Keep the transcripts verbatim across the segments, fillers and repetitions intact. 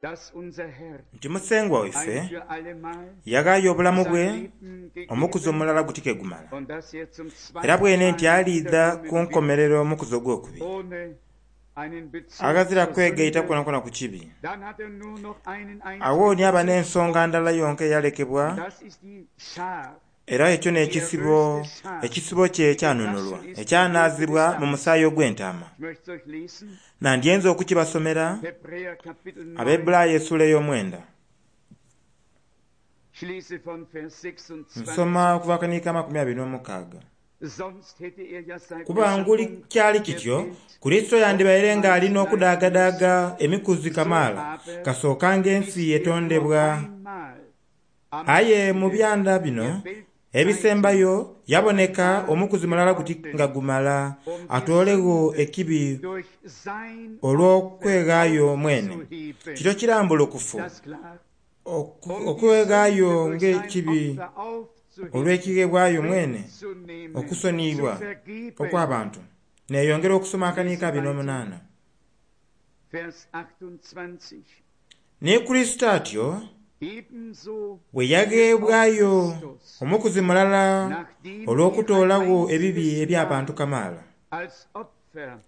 dass unser Herr Nti musengwa waife ein für allemal yaghaayo obulamu sein bwe Leben omukuzi gegeben omulala gutike gumala und dass er zum era zweiten bwene nti Mal aliidha ku wiederkommen wird, nkomerero omukuzi ogwokubiri ohne einen Bezug aghazira zur kwegaita Sünde. kwonakwona ku kibi. Dann hat er nur noch einen Awo einzigen ni aba n'ensonga ndala yonka eyalekebwa Und das ist die Schar, era ekyo n'ekisibo ekisibo kye ekyanunulwa ekyanaazibwa mu musaayi ogw'entaama. ich möchte es euch lesen, Nandyenza okukibasomera Hebräer Kapitel neun, Abaebbulaayo essuula ey'omwenda ich lese von Vers sechsundzwanzig. nsoma okuva akaniika amakumi abiri n'omukaaga. Sonst hätte er ja seit Kuba nguli Erschaffung kyali der kityo Welt Kristo yandibaire ng'alina okudaagadaaga emikuzi kamaala kasookanga ensi ist er nur etondebwa. einmal am Aye mu Ende byanda bino der Weltzeiten ebisembayo yaboneka omukuzi mulala guti nga gumala atoolegho ekibi durch sein olw'okweghaayo mwene. aufzuheben. Kityo kirambulukufu Das klar. oku- Um die okweghaayo Sünde durch sein ng'ekibi Opfer aufzuheben, olw'ekigheebwayo mwene wegzunehmen, okusoniyibwa zu vergeben. okw'abantu. Neeyongera okusoma akaniika abiri n'omunaana. Vers achtundzwanzig. Ne Kristo atyo Ebenso bwe yagheebwayo Christus, omukuzi mulala nachdem er olw'okutoolagho ein ebibi einziges eby'abantu Mal kamaala als Opfer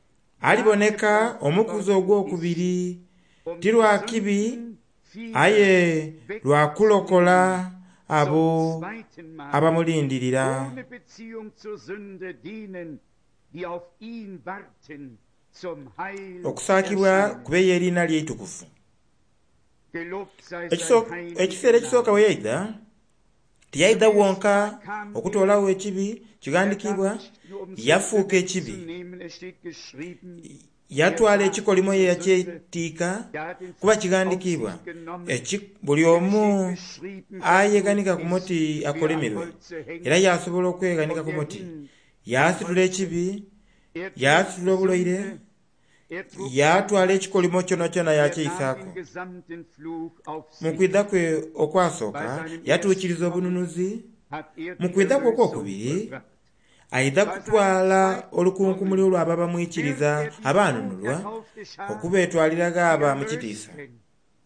aliboneka omukuzi ogwokubiri um ti die lwa kibi Sünden vieler aye lwa kulokola abo zum zweiten Mal abamulindirira. ohne Beziehung zur Sünde denen, die auf ihn warten, zum Heil Okusaakibwa erscheinen. kubeeyo eriina lye eitukuvu. Gelobt sei Ekiso- sein heiliger Ekiseera ekisooka Name. bwe yaidha tiyaidha wonka okutoolagho ekibi Er kighandikibwa kam nicht nur, um Sünde yafuuka ekibi wegzunehmen, es steht geschrieben, yatwala ekikolimo ye yakyetiika er hat den kuba Fluch auf kighandikibwa sich genommen. Eki- buli Es omu steht geschrieben, ayeganika ku verflucht muti ist, wer am akolimirwe Holze hängt. era yasobola okweganika Und ku er muti hing yaasitula ekibi Er trug yaasitula obuloire Sünde, er trug yaatwala ekikolimo kyonakyona er nahm yakyeyisaako. den gesamten Fluch auf Mu sich. kwidha kwe okwasooka yatuukiriza obununuzi Hat er mu die kwidha kwe Erlösung okwokubiri vollbracht. aidha kutwala olukunkumuli olw'abo abamwikiriza Wird er die abaanunulwa toterkaufte Schar okubeetwalira die gaaba mu kitiisa. Erlösten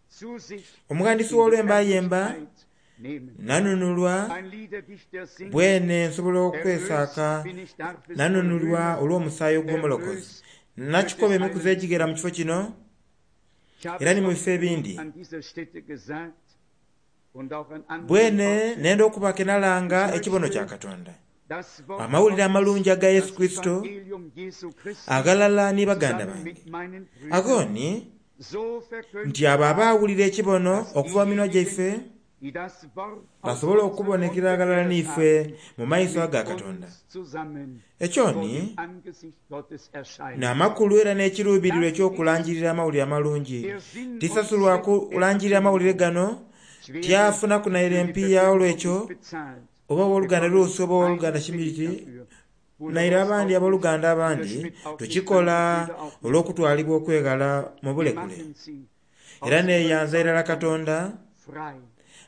zu sich Omughandisi in die w'olwemba ayemba Herrlichkeit nehmen. nanunulwa Ein Liederdichter singt, bwene nsobola erlöst okwesaaka bin ich darf es wohl nanunulwa rühmen, olw'omusaayi ogw'omulokozi. erlöst Nakikoba emikuzi egigera mu kifo kino Ich habe era es ni mu oft bifo ebindi. an dieser Stätte gesagt und auch an anderen Bwene Orten. nenda okubaka enalanga ekibono kya Katonda. Das Wort Amawulire Gottes, amalungi aga Yesu das Kristo Evangelium Jesu Christi agalala ni baganda zusammen bange. mit meinen Brüdern Ago ni so verkündet nti abo abaawulira ekibono okuva mu minwa gyaife die das Wort aus basobole unserem okubonekera Munde agalala gehört n'ife haben, mu maiso mit aga Katonda. uns zusammen Ekyo vor ni dem Angesicht Gottes erscheinen. n'amakulu era n'ekiruubirirwa eky'okulangirira amawulire amalungi. Der Sinn und Tisasulwa Zweck der kulangirira amawulire gano Ich werde tyafunaku naire für die empiiya Verkündigung olw'ekyo nicht bezahlt. oba owooluganda Bekomme Luusi oba owooluganda einen Pfennig Shimiti dafür. Bruder naire Ross abandi auch nicht, abooluganda Bruder abandi Schmidt auch nicht, tukikola andere Brüder auch nicht. olw'okutwalibwa okwegala mu Wir bulekule. machen sie aus Era neeyanza irala Überzeugung Katonda frei.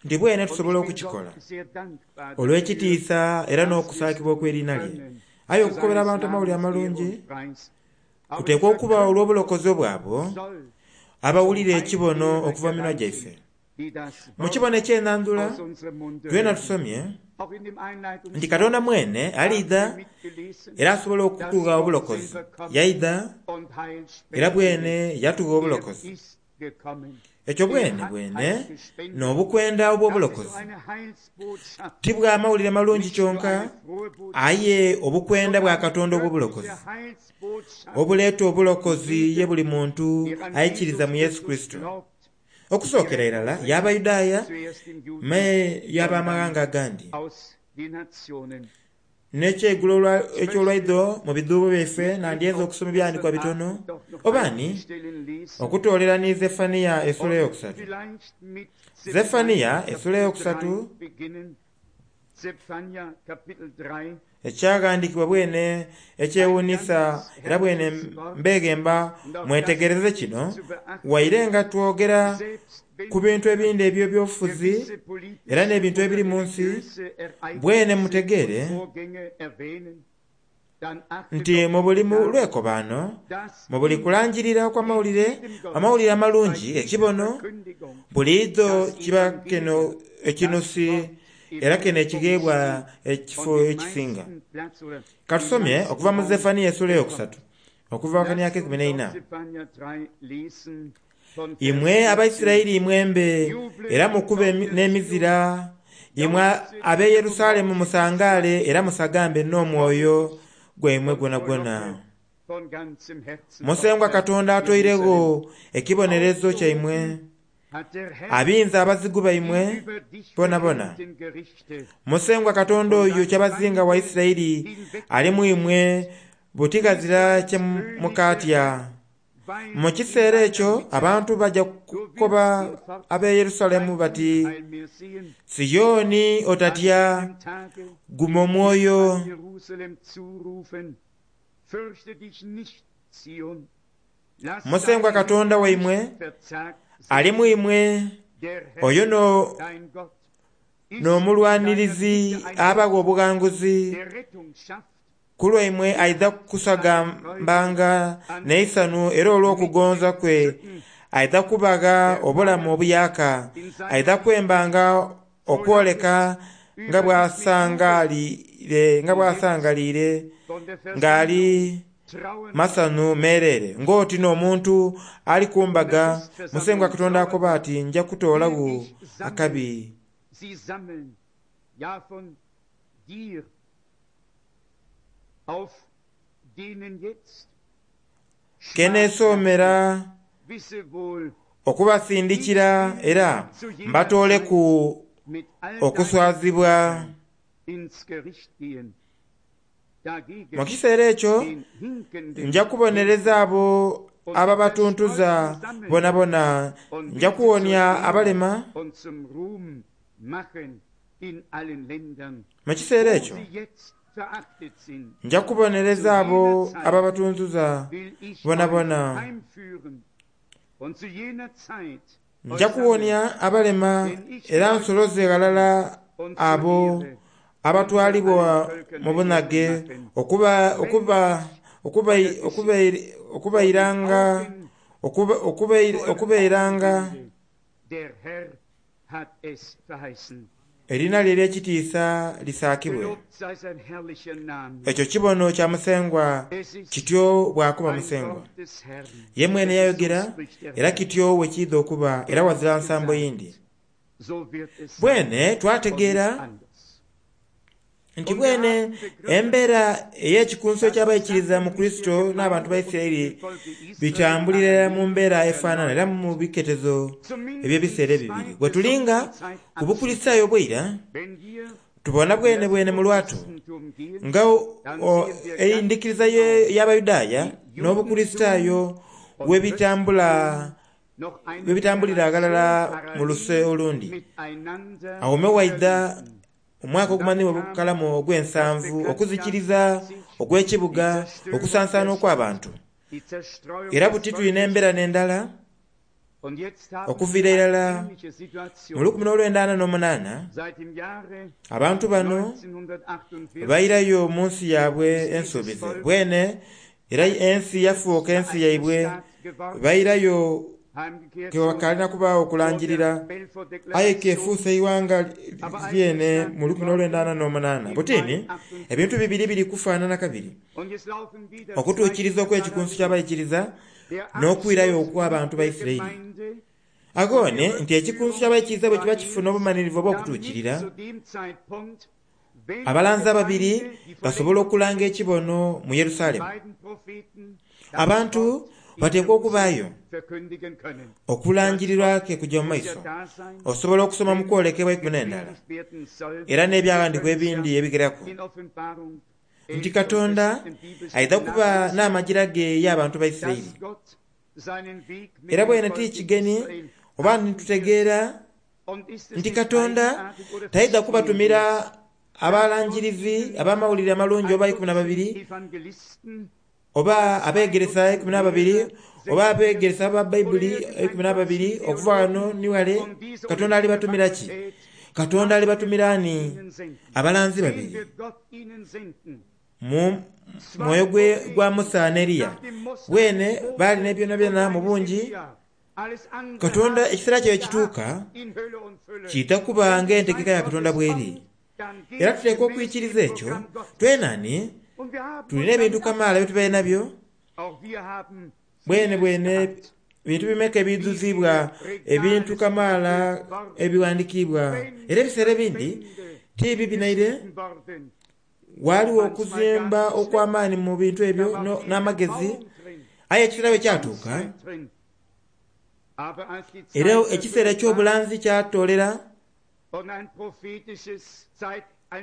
nti bwene Und tusobola ich bin okukikola Gott sehr dankbar dafür, olw'ekitiisa era dass wir es n'okusaakibwa okw'erinnya lye. können, Aye zu okukobera seines abantu amawulire Namens Ehre amalungi und Preis. Aber die kuteekwa okuba Verkündigung olw'obulokozi bwabwo soll abawulira zum Heil ekibono derer okuva mu minwa gelangen, gyaife. die das Mu Wort kibono eky'ennandula aus unserem Munde twena hören. tusomye Auch in dem nti Einleitungswort Katonda mwene haben aliidha wir mitgelesen, era asobola dass okutugha Gott obulokozi. selber kommt Yaidha und Heil era spenden bwene wird. yatugha Er obulokozi. ist gekommen. Ekyo Er bwene hat bwene Heil gespendet. n'obukwenda Das ist so obw'obulokozi. eine Heilsbotschaft, Ti bwa mawulire malungi nicht nur kyonka eine frohe Botschaft, aye obukwenda bwa sondern Katonda eine obw'obulokozi wirkliche Heilsbotschaft, obuleeta obulokozi ye buli muntu der an ayikiriza Jesus mu Yesu Christus Kristo. glaubt, Okusookera irala y'Abayudaaya zuerst den Juden me und dann y'abamawanga agandi. aus den Nationen. N'ekyegulo olwa- eky'olwaidho mu bidhuubo byaife nandyenza Auch okusoma ebyawandiikibwa gestern bitono Abend doch noch oba einige ni Stellen lesen okutoolera ni Zefaniya essula und eyokusatu. vielleicht mit Zefaniya Zephania essula Kapitel eyokusatu drei beginnen. Zephania Kapitel drei, ekyaghandiikibwa bwene ein ekyewuunisa ganz era bwene herrliches Wort mbeegemba und auch das mwetegereze gilt kino zu beachten, waire nga twogera selbst wenn ku bintu wir ebindi eby'ebyobufuzi gewisse era politische n'ebintu oder ebiri mu nsi religiöse bwene Ereignisse und mutegeere Vorgänge erwähnen, Nti mu buli lwekobaano, mu buli kulangirira okw'amawulire, amawulire amalungi ekibono buliidho kiba kino ekinusi era kino ekigheebwa ekifo ekisinga. Katusomye okuva mu Zefaniya essula eyokusatu okuva akania ak'eikumi n'eina. Imwe Abaisiraeli mwembe era mukube n'emizira, imwe ab'e Yerusalemu musangaale era musagambe n'omwoyo gwaimwe gwonagwona. Musengwa Katonda atoiregho ekibonerezo kyaimwe, abinze abazigu baimwe bonabona. Musengwa Katonda oyo kyabazinga wa Isiraeli ali mu imwe buti ghazira kye mukaatya. Mu kiseera ekyo abantu baja kukoba ab'e Yerusalemu bati, Sioni otatya, guma omwoyo. Musengwa Katonda waimwe ali mu imwe, oyo n'omulwanirizi abagha obughanguzi. Ku lwaimwe aidha kusagambanga n'eisanhu era olw'okugonza kwe aidha kubagha obulamu obuyaaka, aidha kwembanga okwoleka nga bw'asangaliire nga bw'asangaliire ng'ali masanhu meereere ng'oti n'omuntu ali ku mbaga. Musengwa Katonda akoba ati nja kutoolagho akabi. Keneesoomera okubasindikira era mbatooleku okuswazibwa. Mu kiseera ekyo nja kubonereza abo ababatuntuza bonabona, nja kuwonia abalema. Mu kiseera ekyo nja kubonereza abo ababatuntuza bonabona, nja kuwonia abalema era nsoloze ghalala abo abatwalibwa mu bunhage okuba okuba okuba okubairanga okubairanga erina lye ery'ekitiisa lisaakibwe. Ekyo kibono kya Musengwa, kityo bw'akoba Musengwa. Ye mwene yayogera era kityo bwe kiidha okuba era ghazira nsambo yindi. Bwene twategeera nti bwene embeera ey'ekikunso eky'abaikiriza mu Kurisito n'abantu ba Isiraeli bitambulira mu mbeera efaanana era mu biketezo eby'ebiseera ebibiri. Bwe tulinga ku Bukulisitaayo obw'eira, tubona bwenebwene mu lwatu nga endhikiriza y'Abayudaaya n'Obukulisitaayo bwe bitambulira aghalala mu luse olundi. Agho me waidha omwaka ogumanhiibwa obukalamu ogw'ensanvu, okuzikiriza okw'ekibuga, okusansaana okw'abantu. Era buti tulina embeera n'endala okuviira irala mu lukumi n'olwenda ana n'omunaana, abantu bano bairayo mu nsi yaibwe ensuubize. Bwene era ensi yafuuka ensi yaibwe, bairayo kewakalina kubaagho okulangirira aye kefuuse eighanga lyene mu lukumi n'olwenda ana n'omunaana. Butini ebintu bibiri biri kufaanana kabiri, okutuukiriza okw'ekikunsu ky'abaikiriza n'okwirayo okw'abantu ba Isiraeli. Agho ni nti ekikunsu ky'abaikiriza bwe kiba kifuna obumanhirivu obw'okutuukirira, abalanzi ababiri basobola okulanga ekibono mu Yerusalemu. Abantu bateekwa okubaayo okulangirirwa ke kujja mu maiso. Osobola okusoma mu kwolekebwa ikumi n'endala era n'ebyaghandiikibwa ebindi ebigeraku nti Katonda aidha kuba n'amagira ge y'abantu ba Isiraeli. Era bwene ti kigeni oba nitutegeera nti Katonda taidha kubatumira abalangirizi ab'amawulire amalungi oba ikumi na babiri oba abeegeresa ikumi n'ababiri oba abeegeresa ba Baibuli ikumi n'ababiri okuva ghano ni ghale. Katonda alibatumira ki? Katonda alibatumira ani? Abalanzi babiri. mu mwoyo gwa Musa ne Eriya. Bwene baali ne byona byona mu bungi. Katonda ekiseera kye kituuka kiita kuba ng'entegeka ya Katonda bweri. Era tuteekwa okwikiriza ekyo. Twenani tulina ebintu kamaala bye tubaire nabyo bwene bwene bintu bimeka ebiduzibwa ebintu kamaala ebiwandiikibwa. Era ebiseera ebindi tibi binaire waliwo okuzimba okw'amaani mu bintu ebyo n'amagezi. Aye ekiseera bwe kyatuuka era ekiseera eky'obulanzi kyatoolera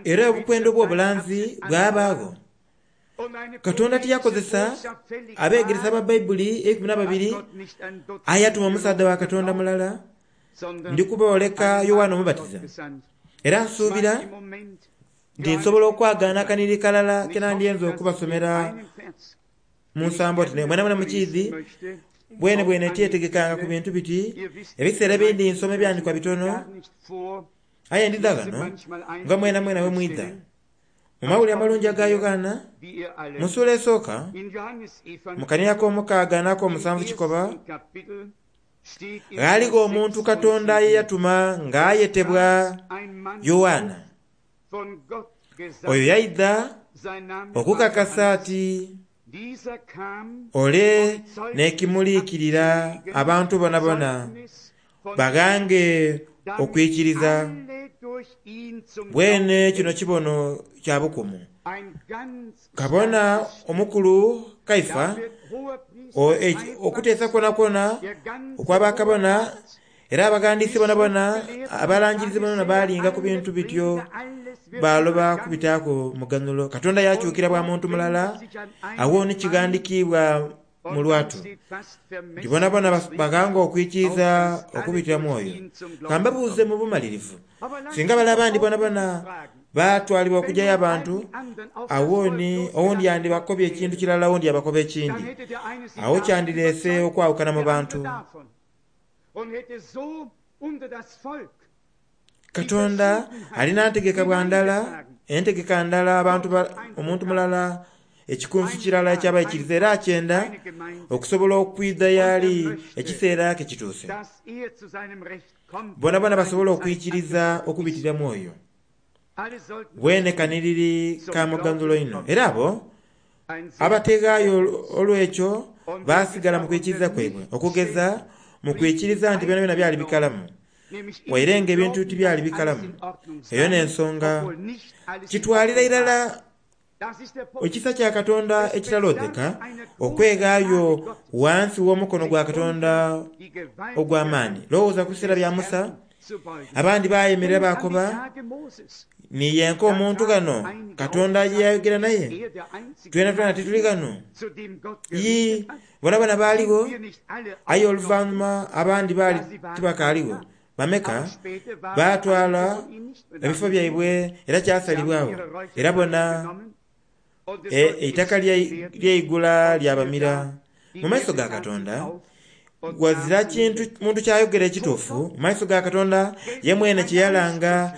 era obukwendo bw'obulanzi bwabaagho. Katonda tiyakozesa abeegeresa ba Bayibuli eikumi n'ababiri, aye yatuma omusaadha wa Katonda mulala ndikubooleka Yowaana Omubatiza. Era nsuubira nti nsobola okwagaana akaniri kalala ke nandyenza okubasomera mu nsambo oti mwena mwena mukiizi bwene bwene tyetegekanga ku bintu biti. Ebiseera ebindi nsoma ebyandikwa bitono, aye ndidha ghano nga mwena mwena we mwidha. Mu mawulire amalungi aga Yowaana mu ssuula esooka mu kanira ak'omukaaga n'ak'omusanvu kikoba, ghaaligho omuntu Katonda ye yatuma ng'ayetebwa Yowaana. Oyo yaidha okukakasa ati ole n'ekimuliikirira abantu bonabona baghange okwikiriza. Bwene kino kibono kya bukumu. Kabona omukulu Kaifa okuteesa kwonakwo okw'abakabona era abaghandiisi bonabona abalangirizi bonabona baalinga ku bintu bityo baloba kubitaaku muganulo. Katonda yakyukira bwa muntu mulala awo ni kighandiikibwa mu lwatu nti bonabona baghanga okwikiriza okubitira mwoyo. Kambabuuze mu bumalirivu, singa bale abandi bonabona batwalibwa okujjayo abantu, awoni owundi yandibakobye ekintu kirala owundi yabakoba ekindi, awo kyandireese okwawukana mu bantu. Katonda alina ntegeka bwa ndala, entegeka ndala abantu omuntu mulala ekikunsu kirala ekyabaikiriza era akyenda okusobola okwidha yali ekiseera ke kituuse bonabona basobola okwikiriza okubitira mwoyo. Bwene kaniriri ka muganzulo ino. Era abo abateegaayo olw'ekyo baasigala mu kwikiriza kwaibwe, okugeza mu kwikiriza nti byona byona byali bikalamu, waire nga ebintu tibyali bikalamu. Eyo n'ensonga kitwalira irala ekisa kya Katonda ekitalozeka okweghaayo wansi w'omukono gwa Katonda ogw'amaani. Lowooza ku biseera bya Musa, abandi baayemerera baakoba niyenka omuntu ghano Katonda ye yayogera naye, twena twena tituli ghano. Yii bonabona baaligho, aye oluvannyuma abandi baali tibakaaligho. Bameka baatwala ebifo byaibwe era kyasalibwawo, era bona eitaka lyeigula lyabamira. Mu maiso ga Katonda wazira kintu muntu kyayogera ekituufu. Mu maiso ga Katonda ye mwene kye yalanga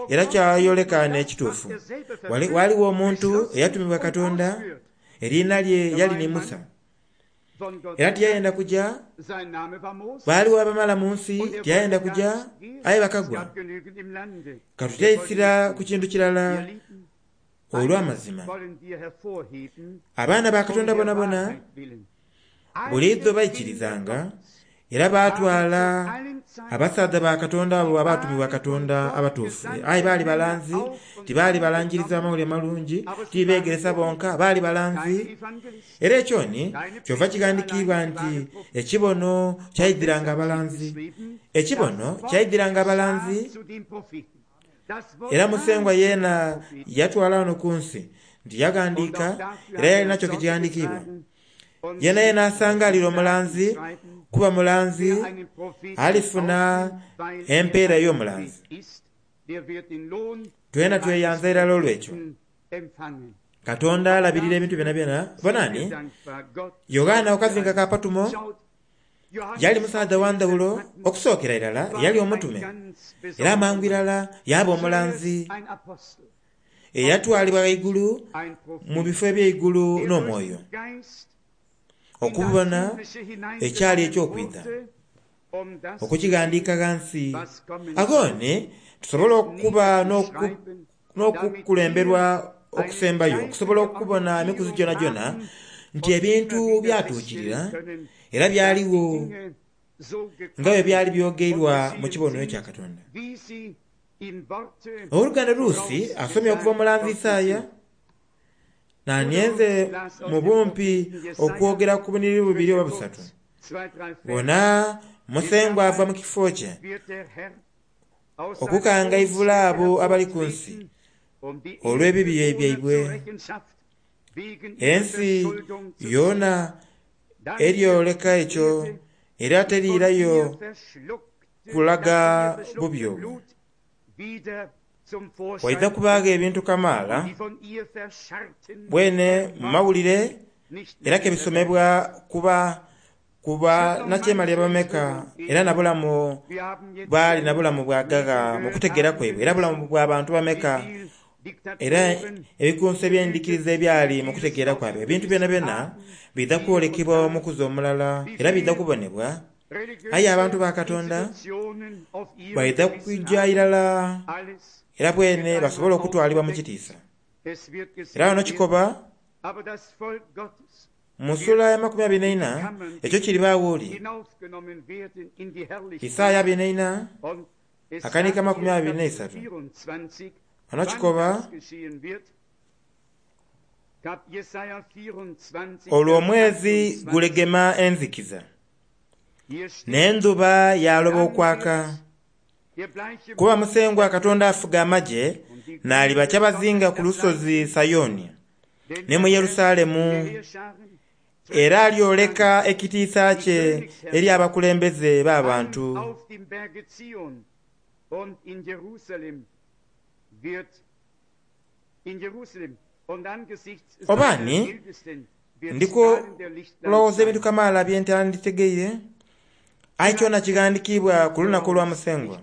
era kyayoleka n'ekituufu. Waliwo omuntu eyatumibwa Katonda, eriina lye yali ni Musa, era tiyayenda kuja. Baaliwo abamala mu nsi tiyayenda kuja, aye bakagwa. Katuteisira ku kintu kirala olw'amazima. Abaana ba Katonda bonabona buliidho baikirizanga era baatwala abasaadha ba Katonda abo abaatumibwa Katonda abatuufu. Aye baali balanzi, tibaali balangiriza amawulire malungi, tibeegeresa bonka, baali balanzi. Era ekyoni kyova kighandiikibwa nti ekibono kyaidhiranga abalanzi, ekibono kyaidhiranga abalanzi. Era Musengwa yeena yatwala wano ku nsi nti yaghandiika era yali nakyo kighandiikibwa. Yeena yeena asangalira omulanzi kuba mulanzi alifuna empeera ey'omulanzi. Twena tweyanza irala olw'ekyo. Katonda alabirira ebintu byona byona. Bonani Yowaana okazinga ka Patumo yali musaadha wa ndhawulo okusookera irala yali omutume, era amangu irala yaaba omulanzi. Eyatwalibwa ghaigulu mu bifo eby'eigulu n'omwoyo okubona ekyali eky'okwidha, okukighandiika ghansi. Aghoni tusobola okuba n'okukulemberwa okusembayo, okusobola okubona emikuzi gyonagyona nti ebintu byatuukirira era byaliwo nga bwe byali byogeirwa mu kibono ekya Katonda. Owooluganda Luusi asomye okuva omulanzi Isaaya, nanyenze mu bumpi okwogera ku buniriri bubiri oba busatu. Bona Musengwa ava mu kifo kye okukangaivula abo abali ku nsi olw'ebibi byaibwe. Ensi yoona eryoleka ekyo era teriirayo kulaga bubi obwo. Waidha kubaagho ebintu kamaala bwene mu mawulire era kebisomebwa kuba kuba nakyemalira bameka era na bulamu baali na bulamu bwagagha mu kutegeera kwaibwe, era bulamu bwa bantu bameka, era ebikunso eby'endikiriza ebyali mu kutegeera kwaibwe. Ebintu byonabyona biidha kwolekebwa omukuzi omulala era biidha kubonebwa. Aye abantu ba Katonda baidha kwijja irala era bwene basobole okutwalibwa mu kitiisa. Era wano kikoba mu sula ya makumi abiri n'eina ekyo kiribaawo oli. Isaaya abiri n'eina akanika makumi abiri n'eisatu. Wano kikoba olwo omwezi gulegema enzikiza n'endhuba yaloba okwaka, kuba Musengwa Katonda afuga amagye n'aliba kyabazinga ku lusozi Sayoni ne mu Yerusalemu, era alyoleka ekitiisa kye eri abakulembeze b'abantu. Obaani ndiko kulowooza ebintu kamaala bye ntanditegeire, aye kyona kighandikiibwa ku lunaku olwa Musengwa.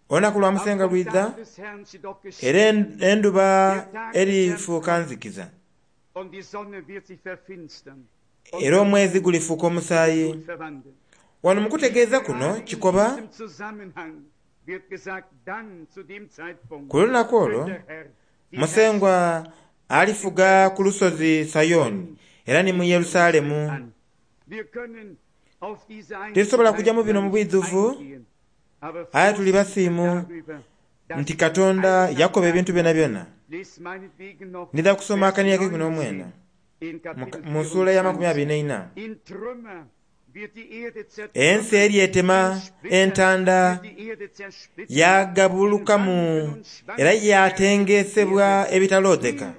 Olunaku lwa Musengwa lwidha era endhuba erifuuka nzikiza, era omwezi gulifuuka omusaayi. Wano mu kutegeeza kuno kikoba ku lunaku olwo Musengwa alifuga ku lusozi Sayoni era ni mu Yerusalemu. Titusobola kujja mu bino mu bwidhuvu, aye tuli basiimu nti Katonda yakoba ebintu byonabyona. Ndidha kusoma akania k'eikumi n'omwenda mu ssuula ya makumi abiri n'eina. Ensi eryetema entanda yagabulukamu era yatengesebwa ebitaloodheka.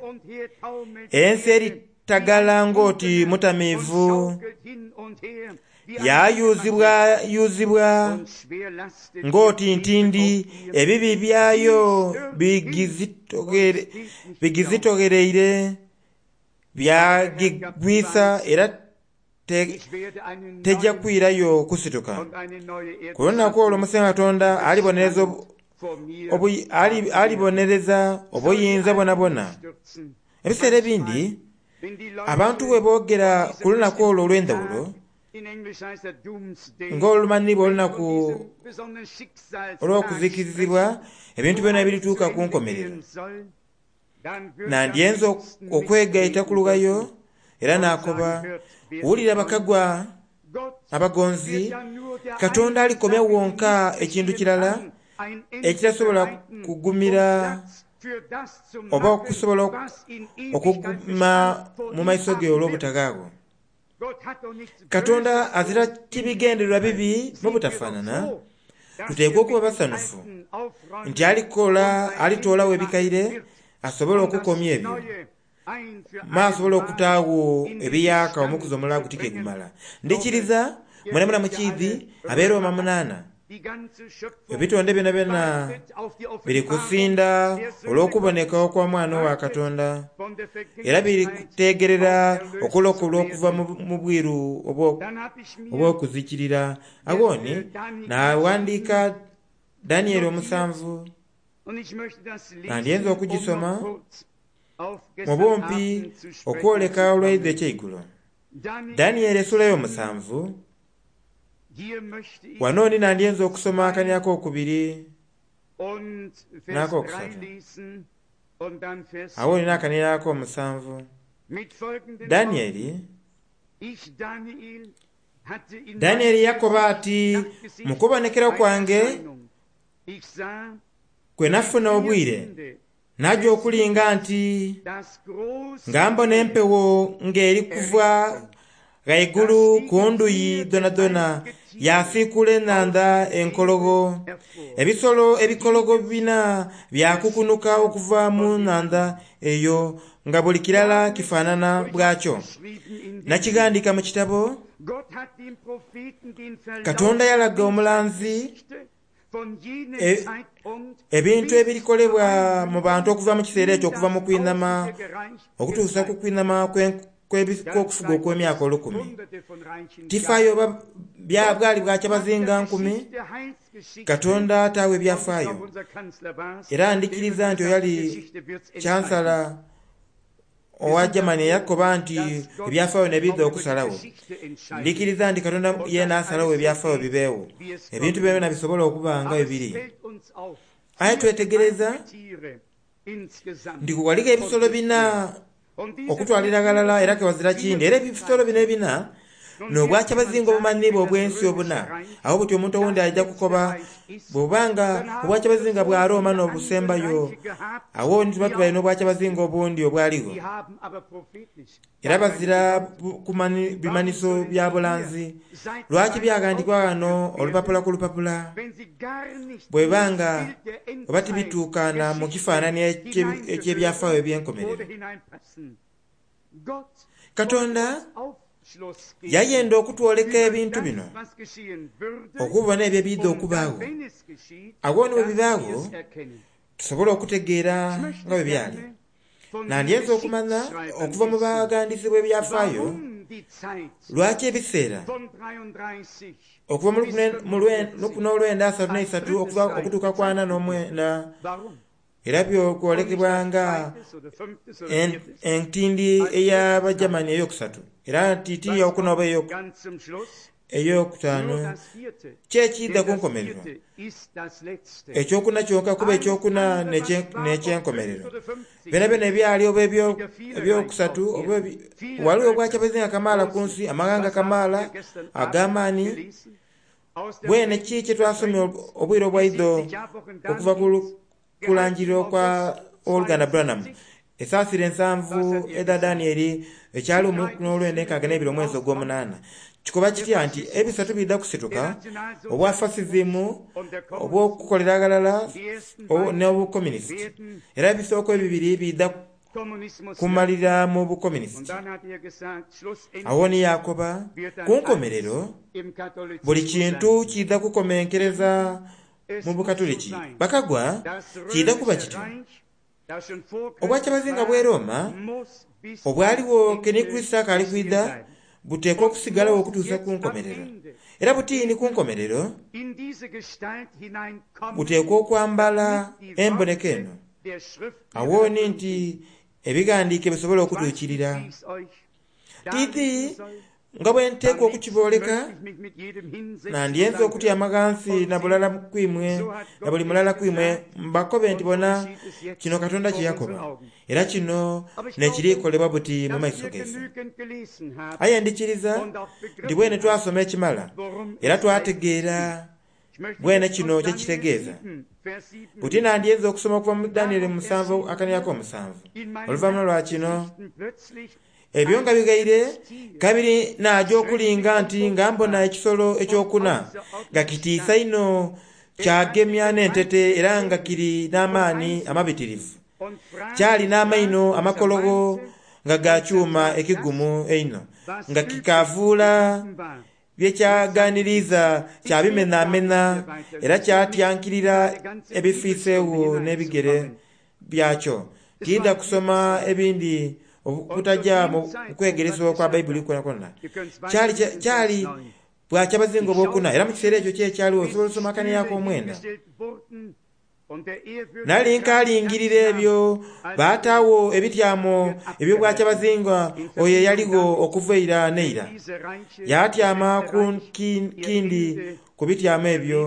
Ensi eritagala ng'oti mutamiivu, yayuzibwayuzibwa ng'oti ntindi, ebibi byayo bigizitoghereire byagigwisa era tejja kwirayo kusituka. Ku lunaku olwo Musengwa Katonda alibonereza obuyinza bwonabwona. Ebiseera ebindi abantu bwe boogera ku lunaku olwo olw'endhawulo ng'olumanhiibwa olunaku olw'okuzikirizibwa, ebintu byona ebirituuka ku nkomerero. Nandyenze okwegaita ku lughayo era n'akoba, wulira bakagwa abagonzi, Katonda alikomya wonka ekintu kirala ekitasobola kugumira oba okusobola okuguma mu maiso ge olw'obutaghaagho. Katonda azira kibigendererwa bibi mu butafaanana. Tuteekwa okuba basanufu nti alikola alitoolawo ebikaire asobole okukomya ebyo, ma asobole okutaagho ebiyaaka omukuzi omulala guti ke gumala. Ndikiriza mwenamwena mukiidhi abeeroma munaana ebitonde byonabyona biri kusinda olw'okuboneka okw'omwana wa Katonda, era biri kutegerera okulokolwa okuva mu bwiru obw'okuzikirira. Aghoni naaghandiika Danieli omusanvu. Nandyenze okugisoma mu bumpi okwoleka olwaidho ekyeigulo. Danieri essula y'omusanvu, wano ni nandyenze okusoma akania ak'okubiri n'akokusatu, awo ni n'akania ak'omusanvu. Danieri Danieri yakoba ati, mu kubonekera kwange kwe nafuna obwire, naja okulinga nti nga mbona empewo ng'eri kuva ghaigulu ku nduyi dhonadhona, yasiikula enhandha enkologo. Ebisolo ebikologo bina byakukunuka okuva mu nhandha eyo nga buli kirala kifaanana bwakyo. Nakighandika mu kitabo. Katonda yalaga omulanzi e, ebintu ebirikolebwa mu bantu okuva mu kiseera ekyo, okuva mu kwinama okutuusa ku kwinama kw'okufuga okw'emyaka olukumi. Tifaayo oba bwali bwakyabazinga nkumi, Katonda ataawo ebyafaayo. Era ndikiriza nti oyali Chancellor owa Germany eyakoba nti ebyafaayo nebidha okusalawo. Ndikiriza nti Katonda yeena asalawo ebyafaayo bibeewo, ebintu byona bisobola okuba nga bwe biri. Aye twetegereza nti waligho ebisolo bina okutwalira ghalala, era kewazira kindi. Era ebisolo bino ebina n'obwakyabazinga obumanhiibwa obw'ensi obuna. Awo buti omuntu owundi aija kukoba, bw'obanga obwakyabazinga bwa Roma n'obusembayo, awo ni tuba tubaire n'obwakyabazinga obundi obwaligho. Era bazira bimanhiso bya bulanzi. Lwaki byaghandikibwa ghano olupapula ku lupapula? Bwebanga oba tibituukana mu kifaananyi eky'ebyafaayo eby'enkomerero. Katonda yayenda okutwoleka ebintu bino, okubona ebyo ebidha okubaagho. Awo ni bwe bibaagho, tusobole okutegeera nga bwe byali. Nandyenze okumanya okuva mu baghandiisi bw'ebyafaayo lwaki ebiseera okuva mu lukumi n'olwenda asatu n'eisatu okutuuka ku ana n'omwenda, era byokwolekebwa nga entindi ey'Abajamani eyokusatu, era nti ti eyokuna oba eyokutaano, kyekiidha ku nkomerero. Ekyokuna kyonka kuba ekyokuna n'ekyenkomerero. Byonabyona ebyali oba ebyokusatu, waliwo obwakyabazinga kamaala ku nsi, amaghanga kamaala ag'amaani. Bwene ki kye twasomye obwire obwaidho okuva ku kulangirira okwa Oluganda Branham, esaasira ensanvu edha Danieri, ekyali n'olwenda enkaaga n'ebiri omwezi ogw'omunaana. Kikoba kitya nti ebisatu bidha kusituka, obwa fasisimu, obw'okukolera aghalala n'obukomunisiti. Era ebisooka ebibiri bidha kumalira mu bukomunisiti. Awo ni yakoba, ku nkomerero buli kintu kidha kukomenkereza mu bukatuliki. Bakagwa kidha kuba kityo. Obwakyabazinga bw'e Roma obwaligho keni Kristo akaali kwidha buteekwa okusigalawo okutuusa ku nkomerero. Era butiini ku nkomerero buteekwa okwambala emboneka eno. Awo ni nti ebighandiike bisobole okutuukirira. Tiiti nga bwe nteekwa okukibooleka, nandyenze okutyama ghansi na bulala kwimwe, na buli mulala kwimwe, mbakobe nti bona kino Katonda kye yakoba, era kino n'ekirikolebwa buti mu maiso gaife. Aye ndikiriza nti bwene twasoma ekimala, era twategeera bwene kino kye kitegeeza. Buti nandyenze okusoma okuva mu Danieri musanvu akania ak'omusanvu. Oluvannyuma lwa kino, ebyo nga bigaire, kabiri naja okulinga nti nga mbona ekisolo ekyokuna nga kitiisa inho, kyagemya n'entete, era nga kiri n'amaani amabitirivu. Kyali n'amaino amakologo nga ga kyuma ekigumu einho, nga kikavuula byekyaganiriza kyabimenamena, era kyatyankirira ebifiiseewo n'ebigere byakyo. Tidha kusoma ebindi okutaja mu kwegeresebwa kwa Baibuli kwonakwo. Kyali kyali bwakyabazinga obwokuna, era mu kiseera ekyo kyekyaliwo osobola osoma akania ak'omwenda. Nali nkaalingirira ebyo baataawo ebityamo eby'obwakyabazinga oyo eyaligho okuva eira n'eira. Yaatyama ku kindi ku bityamo ebyo.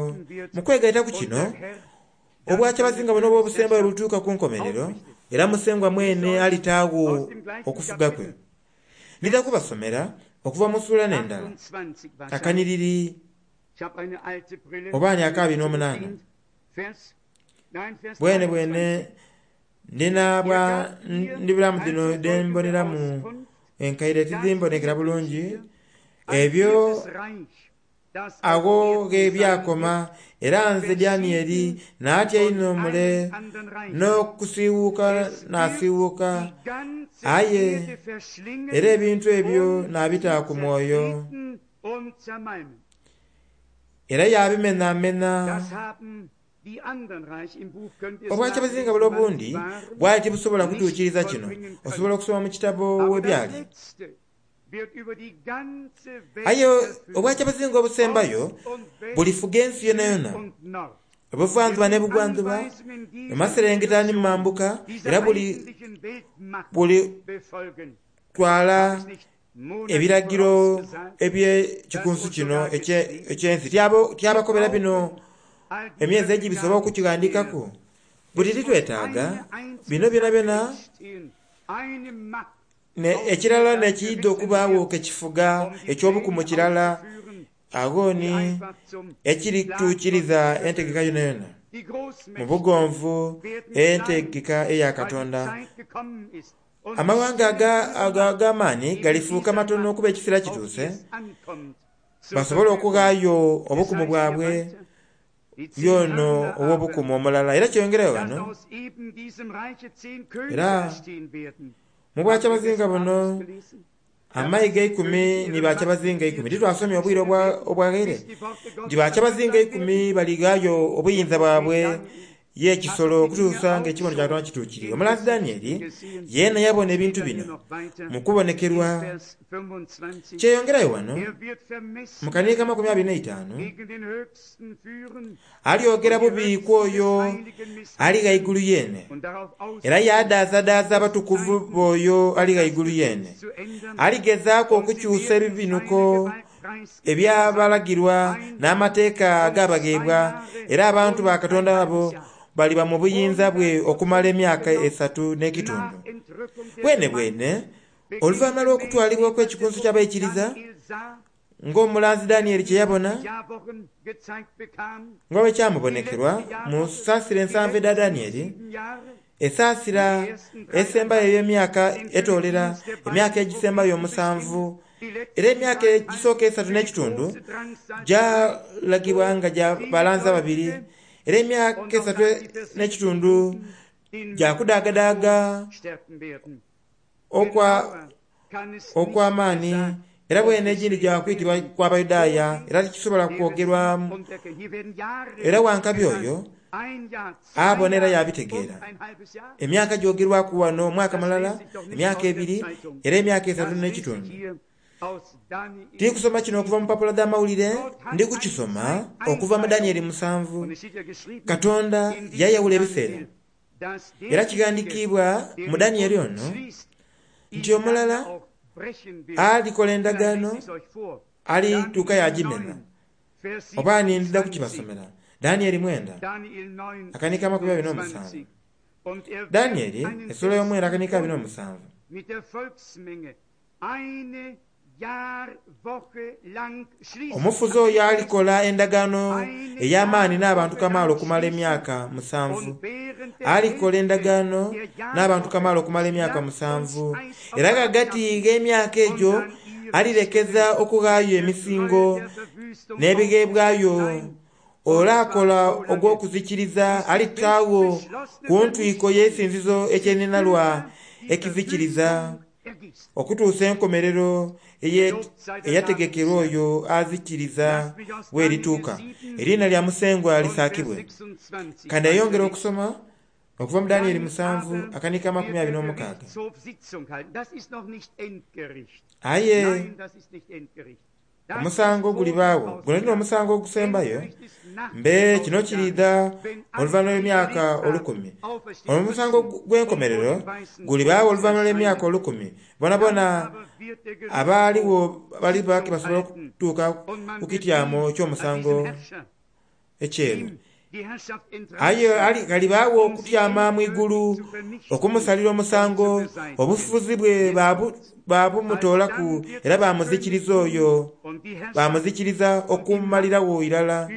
Mu kwegaita ku kino, obwakyabazinga buno obw'obusembayo bulituuka ku nkomerero, era Musengwa mwene alitaagho okufuga kwe. Ndidha kubasomera okuva mu ssuula n'endala akaniriri oba ni akaabiri n'omunaana. Bwene bwene ndina bwa ndibulamu dhino dhemboneramu enkaire tizimbonekera bulungi ebyo agho ghe byakoma. Era nze Danieli naatya inho mule n'okusiiwuuka nasiiwuuka, aye era ebintu ebyo naabita ku mwoyo era yabimenamena. Obwakyabazinga bule obundi bwali tibusobola kutuukiriza kino. Osobola okusoma mu kitabo webyali. Aye obwakyabazinga obusembayo bulifuga ensi yonayona, obuvanzuba n'ebugwanzuba, emaserengeta ni mambuka, era buli buli twala ebiragiro eby'ekikunsu kino eky'ensi. Tyabakobera bino emyezi egibise oba okukighandikaku. Buti titwetaaga bino byonabyona. Ekirala n'ekiidha okubaagho kekifuga eky'obukumu kirala agho ni ekirituukiriza entegeka yonayona mu bugonvu, entegeka eya Katonda. Amawanga ag'amaani galifuuka matono okuba ekiseera kituuse basobole okughaayo obukumu bwabwe yono ow'obukumu omulala. Era kyeyongerayo wano, era mu bwakyabazinga buno amayiga eikumi ni bakyabazinga eikumi. Titwasomye obwire obwaghaire nti bakyabazinga eikumi balighaayo obuyinza bwabwe y'ekisolo okutuusa ng'ekibono kya Katonda kituukiriire. Omulanzi Danieli yeena yabona ebintu bino mu kubonekerwa. Kyeyongerayo wano mu kaniri ka makumi abiri n'eitaanu, alyogera bubi ku oyo ali ghaigulu yeene, era yaadaazadaaza abatukuvu b'oyo ali ghaigulu yeene. Aligezaaku okukyusa ebibinuko ebyabalagirwa n'amateeka agabagheebwa, era abantu ba Katonda abo baliba mu buyinza bwe okumala emyaka esatu n'ekitundu. Bwene bwene oluvannyuma lw'okutwalibwa okw'ekikunsu ky'abaikiriza ng'omulanzi Danieli kye yabona, nga bwe kyamubonekerwa mu saasira ensanvu edha Danieli, esaasira esembayo ey'emyaka etoolera emyaka egisembayo omusanvu, era emyaka egisooka esatu n'ekitundu gyalagibwa nga gya balanzi ababiri, era emyaka esatu n'ekitundu gyakudaagadaaga okw'amaani, era bwene egindi gyakwitibwa kw'Abayudaaya, era tikisobola kwogerwamu. Era wankabi oyo abona era yabitegeera. Emyaka gyogerwaku wano omwaka mulala, emyaka ebiri, era emyaka esatu n'ekitundu. Tiri kusoma kino okuva mu mpapula dh'amawulire, ndi kukisoma okuva mu Danieli musanvu. Katonda yayawula ebiseera, era kighandiikibwa mu Danieli ono nti omulala alikola endagaano alituuka yagimena. Oba ni ndidha kukibasomera. Danieli mwenda akanika amakumi abiri n'omusanvu. Danieli essula y'omwenda akanika abiri n'omusanvu. Omufuzi oyo alikola endagaano ey'amaani n'abantu kamaala okumala emyaka musanvu. Alikola endagaano n'abantu kamaala okumala emyaka musanvu. Era ghagati gh'emyaka egyo alirekeza okughaayo emisingo n'ebigheebwayo. Olaakola ogw'okuzikiriza alitaagho ku ntwiko y'eisinzizo ekyenhinhalwa ekizikiriza, okutuusa enkomerero eyategekerwa oyo azikiriza bw'erituuka. Eriina lya Musengwa lisaakibwe. Kandi eyongera okusoma okuva mu Danieli musanvu akanika amakumi abiri n'omukaaga. Aye Omusango gulibaawo guno tino omusango ogusembayo mbe kino kiriidha oluvannyuma lw'emyaka olukumi. Omusango gw'enkomerero gulibaawo oluvannyuma lw'emyaka olukumi. Bona bona abaaliwo baliba basobola okutuuka ku kityamo eky'omusango ekyeru. Aye ghalibaawo okutyama mu igulu okumusalira omusango, obufuzi bwe babumutoolaku era bamuzikiriza oyo, bamuzikiriza okumalirawo irala.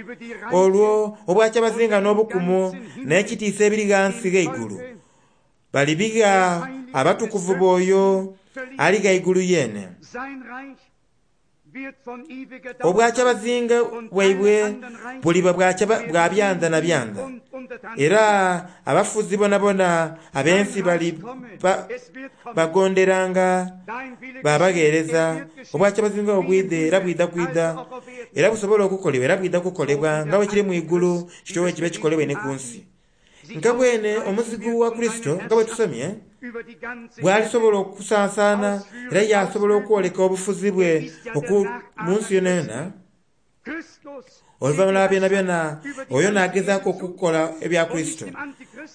Olwo obwakyabazinga n'obukumu n'ekitiisa ebiri ghansi gh'eigulu balibigha abatukuvu b'oyo ali ghaigulu yeene. Obwakyabazinga bwaibwe buliba bwa byanda na byanda, era abafuzi bonabona ab'ensi bali bagonderanga babagheereza. Obwakyabazinga obwidhe era bwidha kwidha, era busobola okukolebwa era bwidha kukolebwa nga bwe kiri mu igulu kityo bwe kibe kikolebwe ni ku nsi. Nga bwene omuzigu wa Kurisito nga bwe tusomye bw'alisobola okusansaana era yasobola okwoleka obufuzi bwe mu nsi yonayona. Oluvannyuma lwa byonabyona oyo n'agezaaku okukola ebya Kurisito.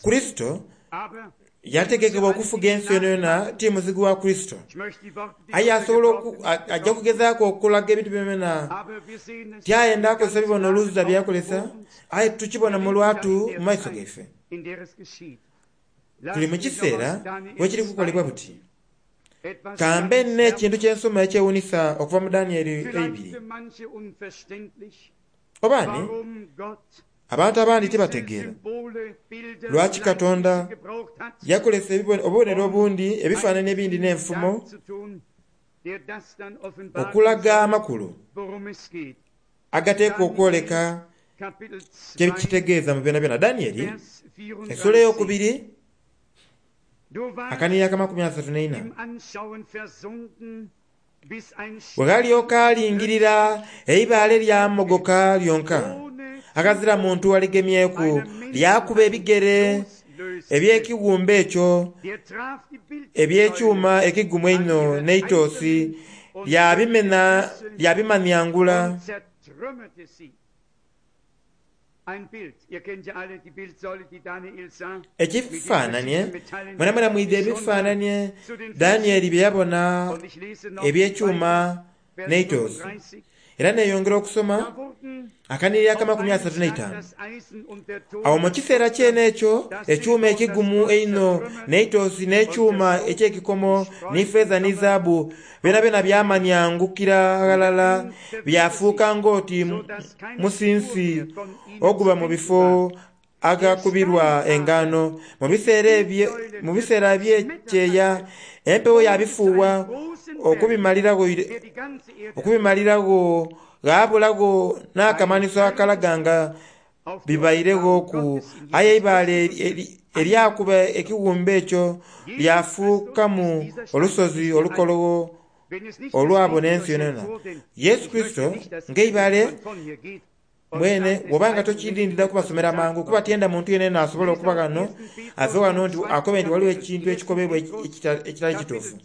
Kurisito yategekebwa okufuga ensi yonayona, ti muzigu wa Kurisito. Aye asobola ajja kugezaaku okulaga ebintu byonayona, tyayenda akozesa bibono oluuza byakozesa, aye tukibona mu lwatu mu maiso gaife. Tuli mu kiseera wekiri kukolebwa buti. Kambe n'ekintu ky'ensoma ekyewuunisa okuva mu Danieri eibiri. Obaani abantu abandi tibategeera lwaki Katonda yakolesa obubonero obundi, ebifaananyi ebindi n'enfumo okulaga amakulu agateekwa okwoleka kye kitegeeza mu byonabyona. Danieri essula ey'okubiri akanhiriri akamakumi asatu n'eina. Bwe ghalyoka alingirira eibaale lyamogoka lyonka, aghazira muntu aligemyeku, lyakuba ebigere eby'ekiwumbe ekyo eby'ekyuma ekigumu einho n'eitosi, lyabimaniangula. Ekifaananie mwenamwena mwidha ebifaananie Danieri bye yabona eby'ekyuma n'eitosi. Era neeyongera okusoma akanhiriri akamakumi asatu n'eitaanu. Awo mu kiseera kyene ekyo ekyuma ekigumu einho n'eitosi n'ekyuma eky'ekikomo ni feeza ni zaabu byonabyona byamaniangukira ghalala, byafuuka ng'oti musinsi oguba mu bifo aghakubirwa engano. Mu biseera eby'ekyeya empewo yabifuuwa okubimaliragho okubimaliragho ghabulagho n'akamanhiso akalaga nga bibaireghooku. Aye eibaale eryakuba ekiwumbe ekyo lyafuukamu olusozi olukologho olwabona ensi yonayona. Yesu Kurisito ng'eibaale mwene bw'obanga tokirindira kubasomera mangu, kuba tyenda muntu yenayena asobola okuba ghano ave ghano nti akobe nti waliwo ekintu ekikobebwa ekitali kituufu.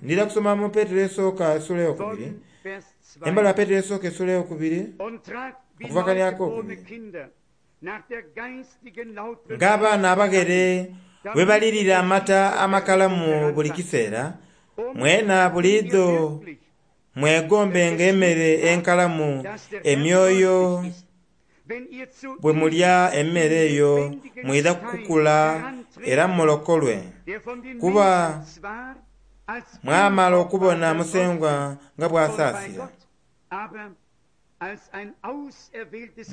Ndidha kusoma mu Petero esooka essula ey'okubiri, embaluwa Petero esooka essula ey'okubiri okuva kani ak'okubiri. Ng'abaana abaghere bwe balirira amata amakalamu buli kiseera, mwena buliidho mwegombenga emmere enkalamu emyoyo. Bwe mulya emmere eyo mwidha kukula era mulokolwe, kuba mwamala okubona Musengwa nga bw'asaasira.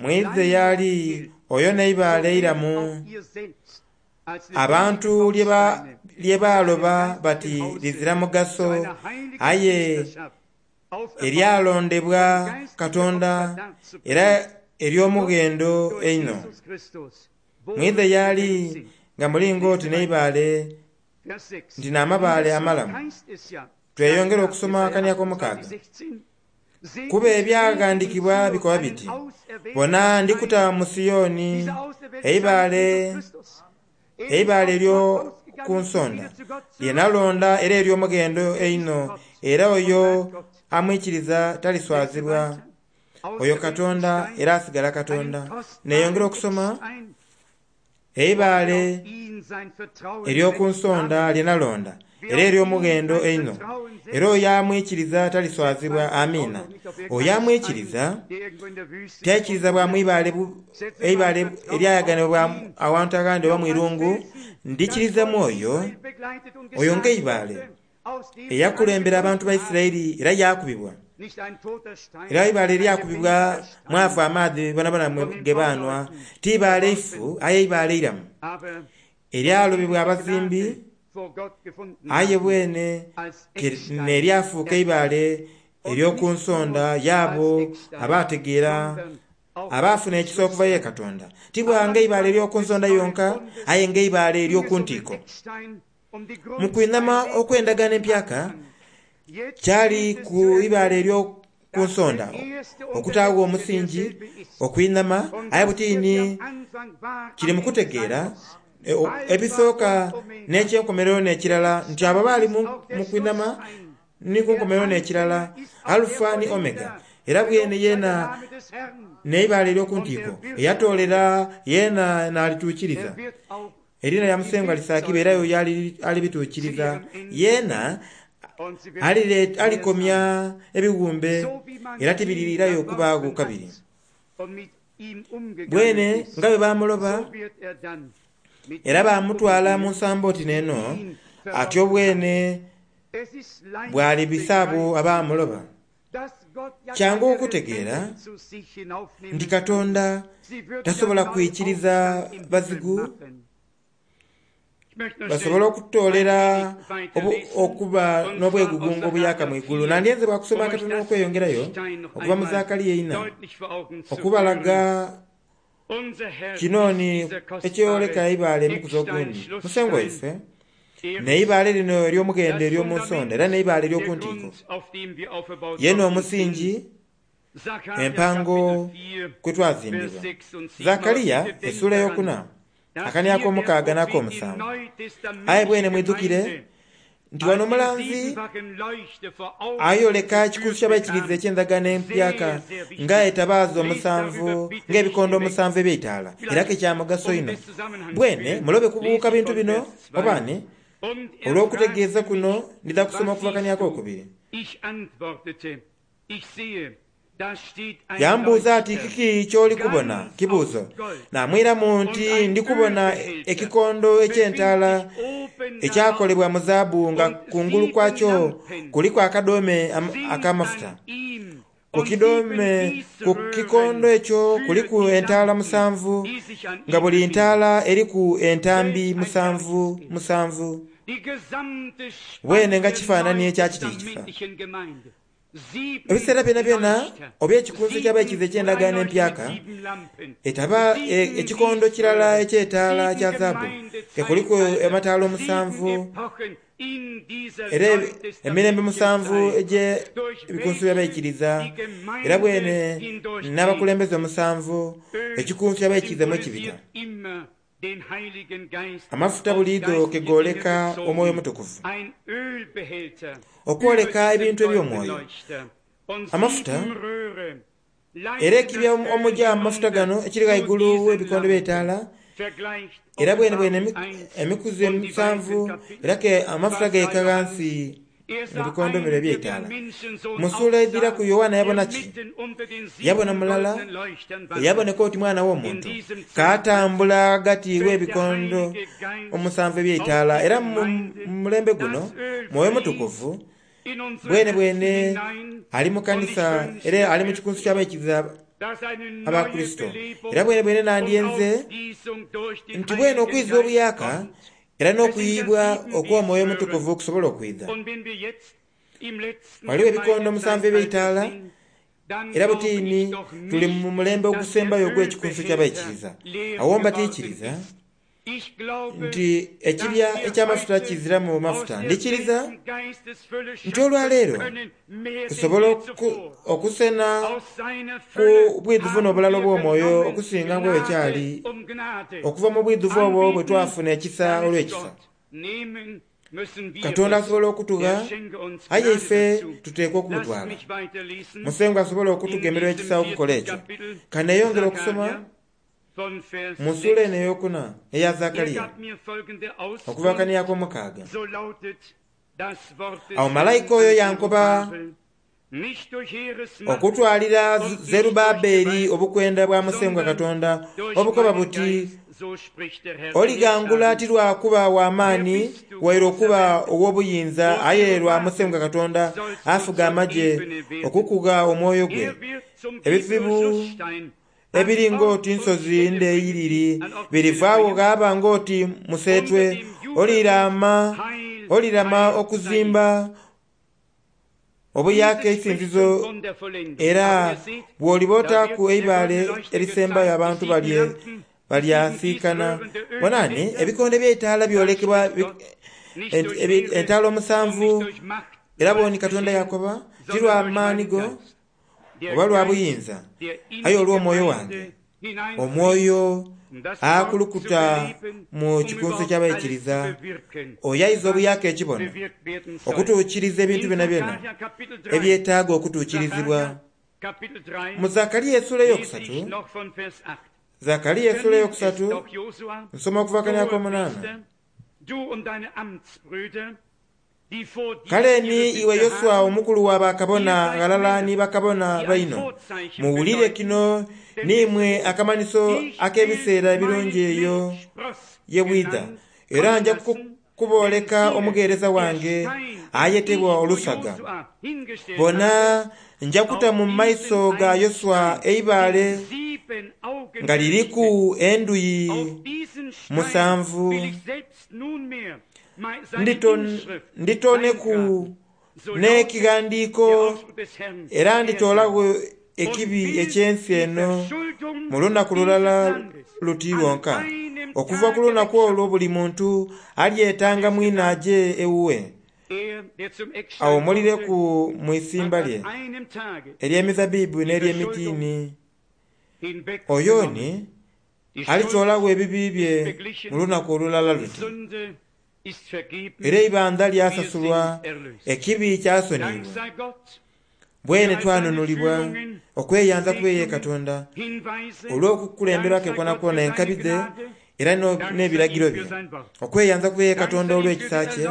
Mwidhe y'ali oyo n'eibaale eiramu, abantu lye baaloba bati lizira mugaso, aye eryalondebwa Katonda era ery'omughendo einho. Mwidhe y'ali nga muli ng'oti n'eibaale nti n'amabaale amalamu. Tweyongere okusoma akani ak'omukaaga. Kuba ebyaghandiikibwa bikoba biti, bona ndikuta mu Siyoni eibaale eibaale ery'oku nsonda lye nalonda era ery'omughendo einho, era oyo amwikiriza taliswazibwa. Oyo Katonda era asigala Katonda. Neyongera okusoma eibaale ery'oku nsonda lye nalonda era ery'omughendo einho, era oyo amwikiriza taliswazibwa. Amiina. Oyo amwikiriza taikiriza bwa mwibaale eibaale eryayaganibwa awantu aghandi oba mwirungu. Ndikiriza mwoyo oyo ng'eibaale eyakulembera abantu ba Isiraeli era yakubibwa, era eibaale eryakubibwa mwafa amaadhi bonabona ge baanwa, ti ibaale ifu aye eibaale iramu eryalobebwa abazimbi, aye bwene neryafuuka eibaale ery'oku nsonda yaabo abategeera abaafuna ekisa okuva ye Katonda. Tibwanga eibaale ery'oku nsonda yonka, aye ng'eibaale ery'oku ntiiko. Mu kwinama okw'endagaano empyaka kyali ku ibaale ery'oku nsonda okutaagho omusingi okwinama, aye butiini kiri mu kutegeera ebisooka n'ekyenkomerero n'ekirala nti abo baali mu kwinama ni ku nkomerero n'ekirala, Alufa ni Omega. Era bwene yeena n'eibaale ery'oku ntiiko eyatoolera yeena n'alituukiriza. Erina lya Musengwa lisaakibwa era oyo alibituukiriza. Yeena alikomya ebiwumbe era tibirirayo okubaagho kabiri. Bwene nga bwe bamuloba era bamutwala mu nsambo oti n'eno, atyo bwene bw'alibisa abo abamuloba. Kyangu okutegeera nti Katonda tasobola kwikiriza bazigu basobola okutoolera okuba n'obwegugungo obuyaka mu igulu. Nandyenze bwakusoma katono okweyongerayo okuva mu Zakariya ina okubalaga kinoni ekyoleka eibaale emukuzi ogundi. Musengwa waife n'eibaale lino ery'omughendo ery'omu nsonda era n'eibaale ery'oku ntiiko, yeena omusingi empango kwe twazimbibwa. Zakariya essuula ey'okuna akani ak'omukaaga n'ak'omusanvu. Aye bwene mwidhukire nti wano omulanzi ayoleka ekikunsu ky'abaikiriza eky'endagaano empyaka nga etabaaza omusanvu ng'ebikondo omusanvu eby'eitaala, era ke kya mugaso inho. Bwene mulobe kubuuka bintu bino obaani olw'okutegeeza kuno ndidha kusoma okuva kani ak'okubiri. Yambuuza ati, kiki ky'oli kubona? Kibuuzo. Namwiramu nti ndi kubona ekikondo eky'entaala ekyakolebwa mu zaabu nga kungulu kwakyo kuliku akadoome ak'amafuta. Ku kidoome ku kikondo ekyo kuliku entaala musanvu nga buli ntaala eriku entambi musanvu musanvu. Bwene nga kifaananyi ekya kiti kifa. Ebiseera byona byona oba ekikunsu eky'abaikiriza eky'endagaano empyaka etaba ekikondo kirala eky'etaala kya zaabu kekuliku amataala omusanvu era emirembe musanvu egy'ebikunsu by'abaikiriza, era bwene n'abakulembeze omusanvu ekikunsu ky'abaikiriza mu ekibita. Amafuta buliidho kegooleka omwoyo omutukuvu okwoleka ebintu eby'omwoyo. Amafuta era ekibya omugya amafuta gano ekiri ghaigulu w'ebikondo by'etaala, era bwene bwene emikuzi emisanvu era ke amafuta geeka ghansi mu bikondo bino eby'etaala. Mu ssuula edhiraku Yoanna yabona ki? Yabona mulala eyaboneka oti mwana w'omuntu kaatambula ghagati w'ebikondo omusanvu eby'eitaala. Era mu mulembe guno Mwoyo Mutukuvu bwene bwene ali mu kanisa era ali mu kikunsu ky'abaikiriza Abakristo. Era bwene bwene nandyenze nti bwene okwiza obuyaka era n'okuyibwa okw'Omwoyo Omutukuvu okusobola okwidha. Waliwo ebikondo musanvu eby'eitaala, era butiini tuli mu mulembe ogusembayo ogw'ekikunsu ky'abaikiriza. Awo mbatiikiriza nti ekibya eky'amafuta kiziramu mafuta. Ndikiriza nti olwaleero tusobola okusena ku bwidhuvu n'obulala obw'omwoyo okusinga nga bwe kyali okuva mu bwidhuvu obwo bwe twafuna ekisa olw'ekisa. Katonda asobola okutugha, aye ife tuteekwa okumutwala. Musengwa asobola okutugemerwa ekisa okukola ekyo. Kaneyongera okusoma mu nsula eno eyokuna eya Zakariya okuva kaniyako omukaaga. Awo malayika oyo yankoba okutwalira Zerubabeli obukwenda bwa Musengwa Katonda obukoba buti, olighangula ti lwa kuba w'amaani waire okuba ow'obuyinza, aye lwa Musengwa Katonda afuga amagye okukugha omwoyo gwe. Ebizibu ebiri ng'oti nsozi ndeyiriri birivaagho ghaba ng'oti museetwe, olirama olirama okuzimba obuyaka eisinzizo, era bw'olibootaaku eibaale erisembayo abantu balye balyasiikana. Bonani ebikonde by'eitaala byolekebwa entaala omusanvu, era boni Katonda yakoba ti lwa maani go oba lwa buyinza, aye olw'omwoyo wange. Omwoyo akulukuta mu kikunsu ky'abaikiriza oyo aiza obuyaka ekibono okutuukiriza ebintu byona byona ebyetaaga okutuukirizibwa. Mu Zakariya essula eyokusatu, Zakariya essula eyokusatu nsoma okuva kanyaka omunaana. Kale ni iwe Yoswa omukulu wa bakabona ghalala ni bakabona baino, muwulire kino nimwe akamanyiso ak'ebiseera ebirungi eyo ye bwidha. Era nja kubooleka omugheereza wange ayetebwa Olusaga. Bona nja kuta mu maiso ga Yoswa eibaale nga liriku enduyi musanvu, nditoneku n'ekighandiiko era nditoolagho ekibi eky'ensi eno mu lunaku lulala luti lwonka. Okuva ku lunaku olwo buli muntu alyetanga mwine aje ewuwe, awumulireku mu isimba lye ery'emizabbibu n'ery'emitiini. Oyo ni alitoolagho ebibi bye mu lunaku olulala luti, era eibandha lyasasulwa, ekibi kyasoniyibwa. Bwene twanunulibwa okweyanza kubeye Katonda olw'okukulemberwake kwonakwona enkabi dhe era n'ebiragiro bye. Okweyanza kubeye Katonda olw'ekisa kye,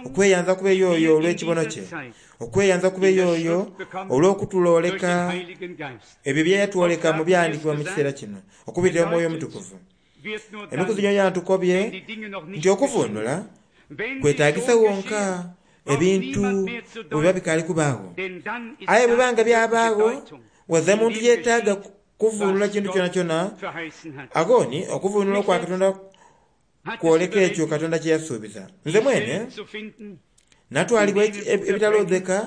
okweyanza kubeye oyo olw'ekibono kye, okweyanza kubeye oyo olw'okutuloleka ebyo bye yatwoleka mu byandikibwa mu kiseera kino okubitira Omwoyo Omutukuvu. Emikuzi gyo yantukobye nti okuvunula kwetagisa wonka ebintu bwe biba bikaali kubaagho, aye bwe banga byabaagho waza muntu yeetaaga kuvunula kintu kyona kyona. Agoni okuvunula okwa Katonda kwoleka ekyo Katonda kye yasuubiza. Nze mwene natwalibwa ebitalodheka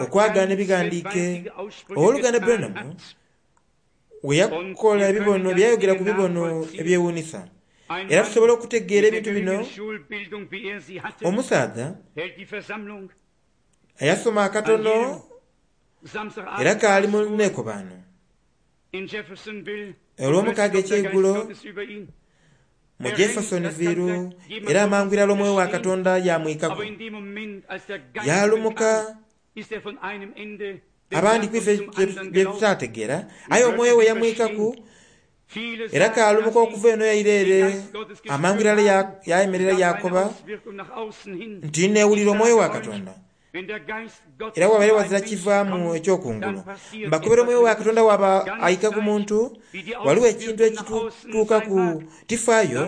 okwagaana ebighandiike. Owooluganda Branham we yakola ebibono byayogera ku bibono ebyewuunisa, era tusobola okutegeera ebintu bino. Omusaadha ayasoma akatono era kaali mu neekobaano olw'omukaaga ekyeigulo mu Jeffersonville, era amangu irala omwoyo wa Katonda yamwikaku yalumuka. Abandi kwife bye tutategeera, aye omwoyo we yamwikaku era kaalumuka okuva eno yairere amangu irala yayemerera yakoba nti neewulira omwoyo wa Katonda. Era wabaire wazira kivaamu ekyokungulu. Mbakobera omwoyo wa Katonda waba aika ku muntu, waliwo ekintu ekitutuukaku tifaayo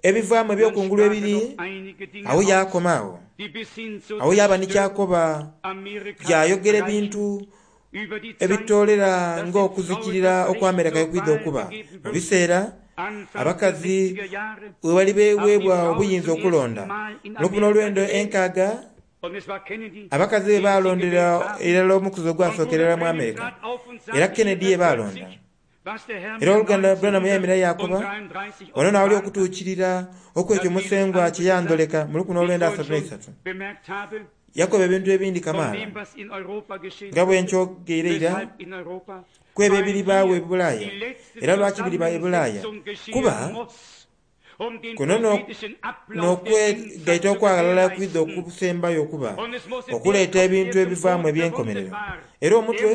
ebivaamu ebyokungulu ebiri awo yakoma awo. Awo yaba nikyakoba yayogera ebintu ebitoolera ng'okuzikirira okw'Amerika yokwidha okuba. Mu biseera abakazi we bali beweebwa obuyinza okulonda lukumi n'olwendo enkaaga, abakazi be balondera irala omukuzi ogwasookerera mu Amerika, era Kennedy ye balonda. Era oluganda Branham yayemerera yakoba wano naawali okutuukirira okwekyo Musengwa kye yandoleka mu lukumi n'olwenda asatu n'eisatu. Yakoba ebintu ebindi kamaala nga bwe nkyogeire ira kwebyo ebiribaawo e Bulaaya. Era lwaki biriba e Bulaaya? Kuba Kuno n'okwegaita okwaghalala kwidha okusembayo okuba okuleeta ebintu ebivaamu eby'enkomerero. Era omutwe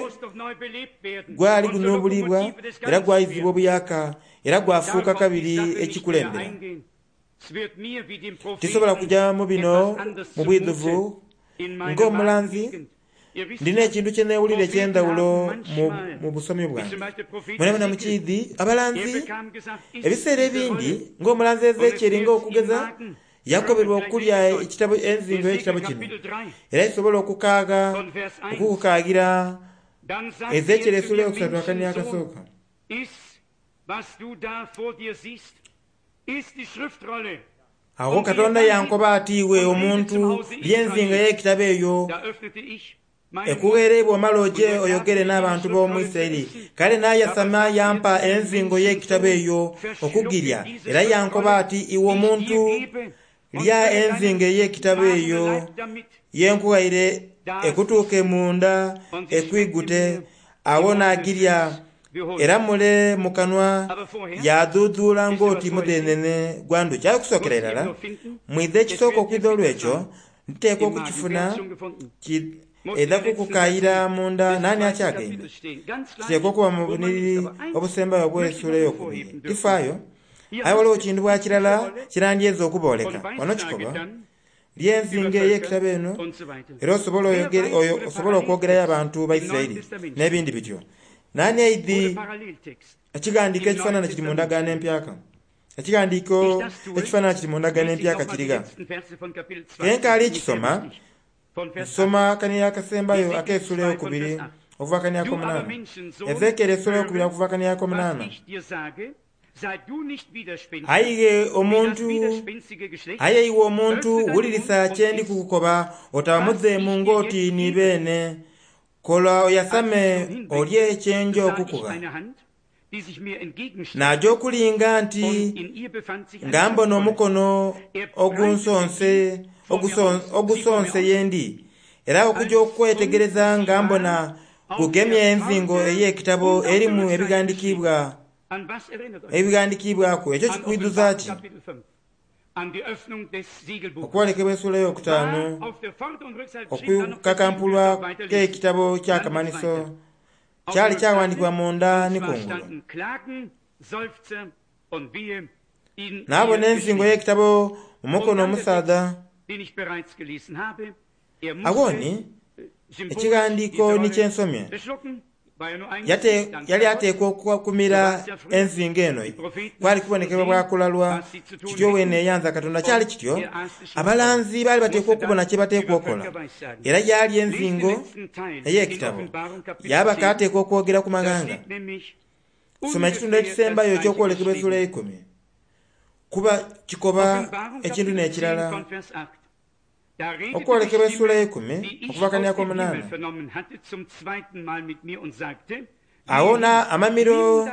gwali gunubulibwa era gwaizibwa obuyaka era gwafuuka kabiri ekikulembera. Tisobola kujja mu bino mu bwidhuvu ng'omulanzi. Ndina ekintu kye neewulira eky'endhawulo mu busomi bwange. Mwenamwena mukiidhi abalanzi ebiseera ebindi ng'omulanzi Ezekieri ng'okugeza yakoberwa okulya ekitabo enzingo y'ekitabo kino era isobola okukaaga okukukaagira Ezekieri essuula eyokusatu akani akasooka. Agho Katonda yankoba ati, iwe omuntu, lya enzingo ey'ekitabo eyo ekugheereibwa omala oje oyogere n'abantu b'omu Isiraeli. Kale n'ayasama yampa enzingo y'ekitabo eyo okugirya, era yankoba ati, iwe omuntu, lya enzingo ey'ekitabo eyo yenkughaire ekutuuke munda ekwigute. Awo n'agirya era mule mu kanwa yadhuudhuula ng'oti mudhenene gwa ndhuki. Aye okusookera irala mwidha ekisooka okwidha olw'ekyo nteekwa okukifuna edha kukukayira munda nani akyagaine. Kiteekwa okuba mu buniriri obusembayo obw'essuula ey'okubiri. Tifaayo aye waliwo kintu bwa kirala kirandyeza okubooleka. Wano kikoba lyenzingo ey'ekitabo eno era osobola okwogerayo abantu ba Isiraeli n'ebindi bityo. Nani aidhi ekighandiiko ekifaanana kiri mu ndagaano empyaka? Ekighandiiko ekifaanana kiri mu ndagaano empyaka kiriga. Kenkaali kisoma nsoma kani akasembayo ak'essuula ey'okubiri okuva kani ak'omunaana. Ezekieri essuula ey'okubiri okuva kani ak'omunaana. Aye omuntu, aye iwe omuntu wulirisa kye ndi kukukoba otaba mudheemu ng'oti ni beene. Kola oyasame olye kyenja okukugha. Naja okulinga nti nga mbona omukono ogunsonse ogusonse yendi, era okujja okwetegereza nga mbona gugemye enzingo ey'ekitabo erimu ebighandiikibwa ebighandiikibwaku. Ekyo kikwiduza ki? Okwolekebwa essuula ey'okutaano okukakampulwa k'ekitabo ky'akamanhiso kyali kyaghandiikibwa munda ni kungulu. Naabona enzingo y'ekitabo mu mukono omusaadha. Awo ni ekighandiiko ni kyensomye yali ateekwa okukumira enzingo eno. Kwali kubonekebwa bwakulalwa kityo weene eyanza Katonda. Kyali kityo abalanzi baali bateekwa okubona kye bateekwa okola, era yali enzingo ey'ekitabo yabaka ateekwa okwogera ku maghanga. Soma ekitundu ekisembayo eky'okwolekebwa essuula eikumi kuba kikoba ekintu n'ekirala. Okwolekebwa essuula eikumi okuva kani ak'omunaana. Awo na amamiro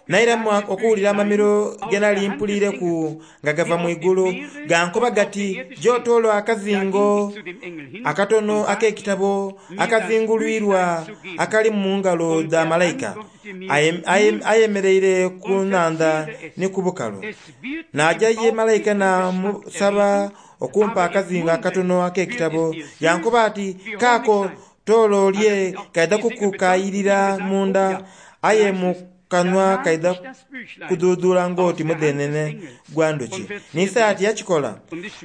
nairamu okuwulira amamiro ge nali mpuliireku nga gava mu igulu gankoba gati, gy'otoolo akazingo akatono ak'ekitabo akazingulwirwa akali mu ngalo dha malayika ayemereire ku nnhandha ni ku bukalu. Naja ye malayika namusaba okumpa akazingo akatono ak'ekitabo. Yankoba ati, kaako toolo olye kaidha kukukayirira munda, aye mu kanwa kaidha kudhuudhuula ng'oti mudhenene gwa ndhuki. N'Isaya ati yakikola.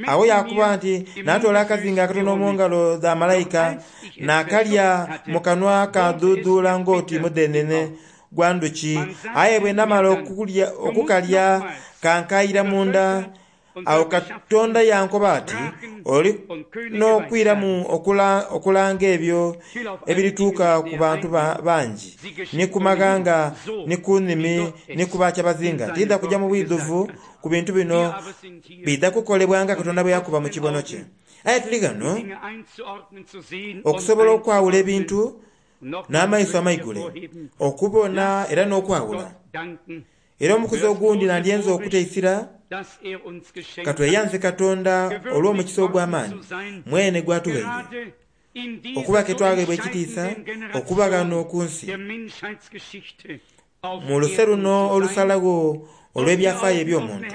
Awo yakuba nti natoola akazingo akatono mu ngalo dha malayika nakalya mu kanwa kadhuudhuula ng'oti mudhenene gwa ndhuki, aye bwe namala okukalya kankayira munda. Awo Katonda yankoba ati, oli n'okwiramu okulanga ebyo ebirituuka ku bantu bangi, ni ku maghanga, ni ku nnimi, ni ku bakyabazinga. Tidha kujja mu bwidhuvu ku bintu bino bidha kukolebwa nga Katonda bwe yakuba mu kibono kye. Aye tuli ghano okusobola okwawula ebintu n'amaiso amaigule, okubona era n'okwawula. Era omukuzi ogundi nandyenze okuteisira katweyanze Katonda olw'omukisa ogw'amaani mwene gwatughaire okuba ke twagheebwa ekitiisa okuba ghano ku nsi mu luse luno olusalagho olw'ebyafaayo eby'omuntu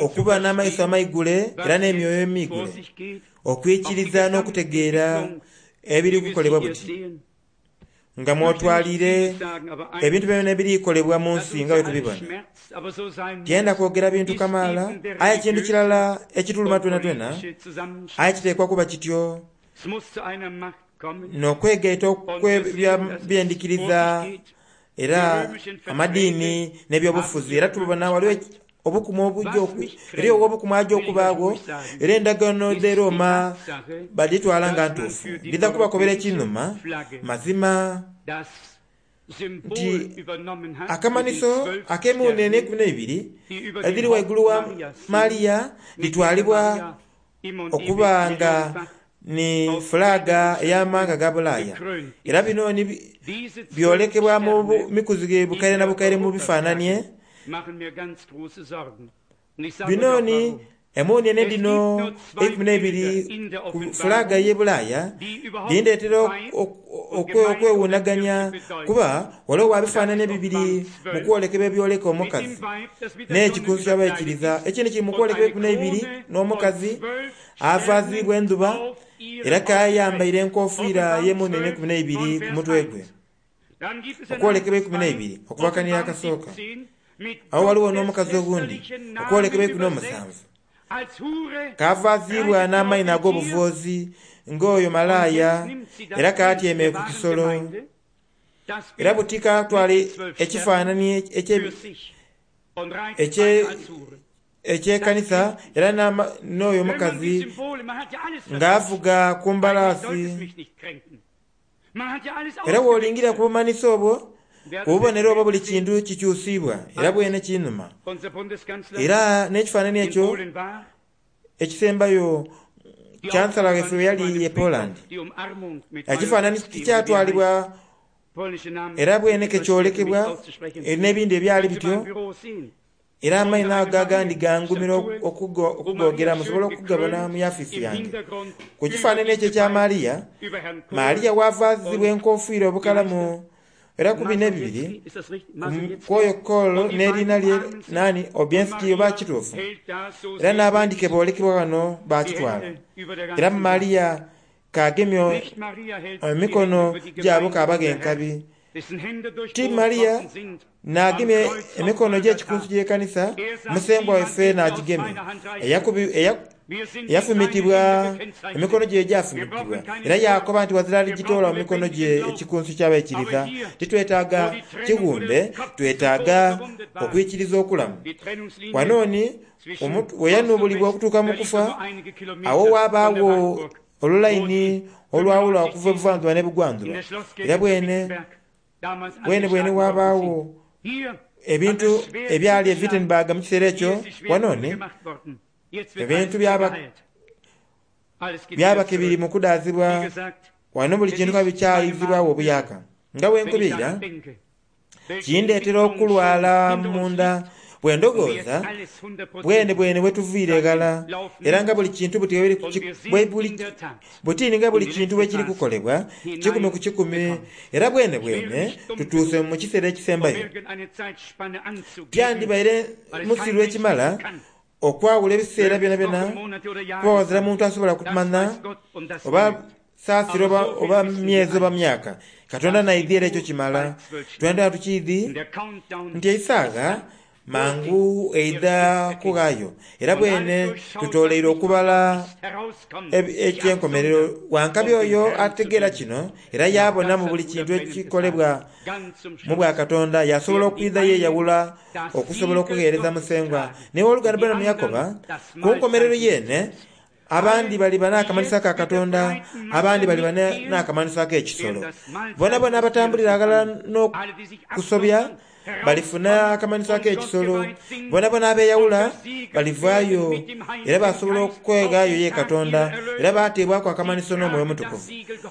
okuba n'amaiso amaigule era n'emyoyo emigule okwikiriza n'okutegeera ebiri kukolebwa buti nga mwotwalire ebintu byona ebirikolebwa mu nsi nga bwe tubibona. Tyenda kwogera bintu kamaala, aye kintu kirala ekituluma twena twena, aye kiteekwa kuba kityo n'okwegaita okw'ebyendikiriza era amadiini n'ebyobufuzi. Era tubona waliwo obukumu obujja eri obukumu ajja okubaagwo, era endagaano dh'e Roma baditwala nga ntuufu. Ndidha kubakobera ekinuma mazima nti akamanhiso ak'emiwunene eikumi n'eibiri edhiri waigulu wa Maria ditwalibwa okuba nga ni fulaga ey'amawanga ga Bulaaya. Era bino byolekebwa mu mikuzi bukaire na bukaire mu bifaananie. Bino ni emunene dhino eikumi n'eibiri ku fulaga y'e Bulaaya dhindeetera okwewuunaganya, kuba waliwo wa bifaananie bibiri mu kwolekebwa ebyoleka omukazi n'ekikunsu ky'abaikiriza. Ekindi kiri mu kwolekebwa eikumi n'eibiri n'omukazi avaazibwa endhuba era kayambaire enkofiira y'emunene eikumi n'eibiri ku mutwe gwe. Okwolekebwa eikumi n'eibiri okubakanira akasooka. Awo waliwo n'omukazi ogundi okwolekebwa eikumi n'omusanvu kavaazibwa n'amaino ag'obuvuuzi ng'oyo malaaya era katyeme ku kisolo. Era buti katwala ekifaananie eky'ekanisa era n'oyo omukazi ng'avuga ku mbalaasi. Era bw'olingira ku bumanhiso obwo, ku bubonero obwo buli kintu kikyusibwa era bwene kinuma. Era n'ekifaananie ekyo ekisembayo Chancellor waife yali e Poland, ekifaananyi kikyatwalibwa era bwene kekyolekebwa n'ebindi ebyali bityo. Era amaino ago agandi gangumira okugogera, musobola okugabona mu yafisi yange. Ku kifaananyi ekyo ekya Maria, Maria wavaazibwa enkofiira obukalamu era ku bino ebibiri kwoyo Kool n'erina lye nani Obienski oba kituufu. Era n'abandi ke boolekebwa wano bakitwala. Era Maria kagemye emikono gyabo kabaga enkabi. Ti Maria n'agemye emikono gy'ekikunsu gy'ekanisa, musengwa waife n'agigemye eyafumitibwa emikono gye gyafumitibwa. Era yakoba nti wazira aligitoola mu mikono gye ekikunsu ky'abaikiriza. Titwetaaga kighumbe, twetaaga okwikiriza okulamu. Wanooni bwe yanuubulibwa okutuuka mu kufa, awo waabaawo olulayini olwawula okuva ebuvanjuba n'ebugwanjuba. Era bwene bwene bwene waabaawo ebintu ebyali e Wittenberg mu kiseera ekyo. Wanooni ebintu byabaka biri mu kudaazibwa wano buli kintu ka bikyayizibwawo obuyaka. Nga bwe nkubirira kindeetera okulwala munda bwe ndowooza bwene bwene bwe tuviire eghala, era nga buli kintu butini nga buli kintu bwe kiri kukolebwa kikumi ku kikumi. Era bwene bwene tutuuse mu kiseera ekisembayo. Tyandibaire musiru ekimala okwawula ebiseera byona byona, kuba wazira muntu asobola kutumanya oba saasira oba, oba myezi oba myaka. Katonda naidhi era ekyo kimala. Twenda tukiidhi nti eisagha mangu eidha kughaayo. Era bwene tutoleire okubala ekyenkomerero. Wankabi oyo ategeera kino era yabona mu buli kintu ekikolebwa mu bwa Katonda, yasobola okwidha yeeyawula okusobola okugheereza musengwa. Naye oluganda Branham yakoba ku nkomerero yeene abandi baliba n'akamanhiso ka Katonda, abandi baliba n'akamanhiso ak'ekisolo. Bona bona abatambulira aghalala n'okusobya balifuna akamanhiso ak'ekisolo. Bona bona abeeyawula balivaayo era basobola okweghaayo ye Katonda, era bateebwaku akamanhiso n'Omwoyo Omutukuvu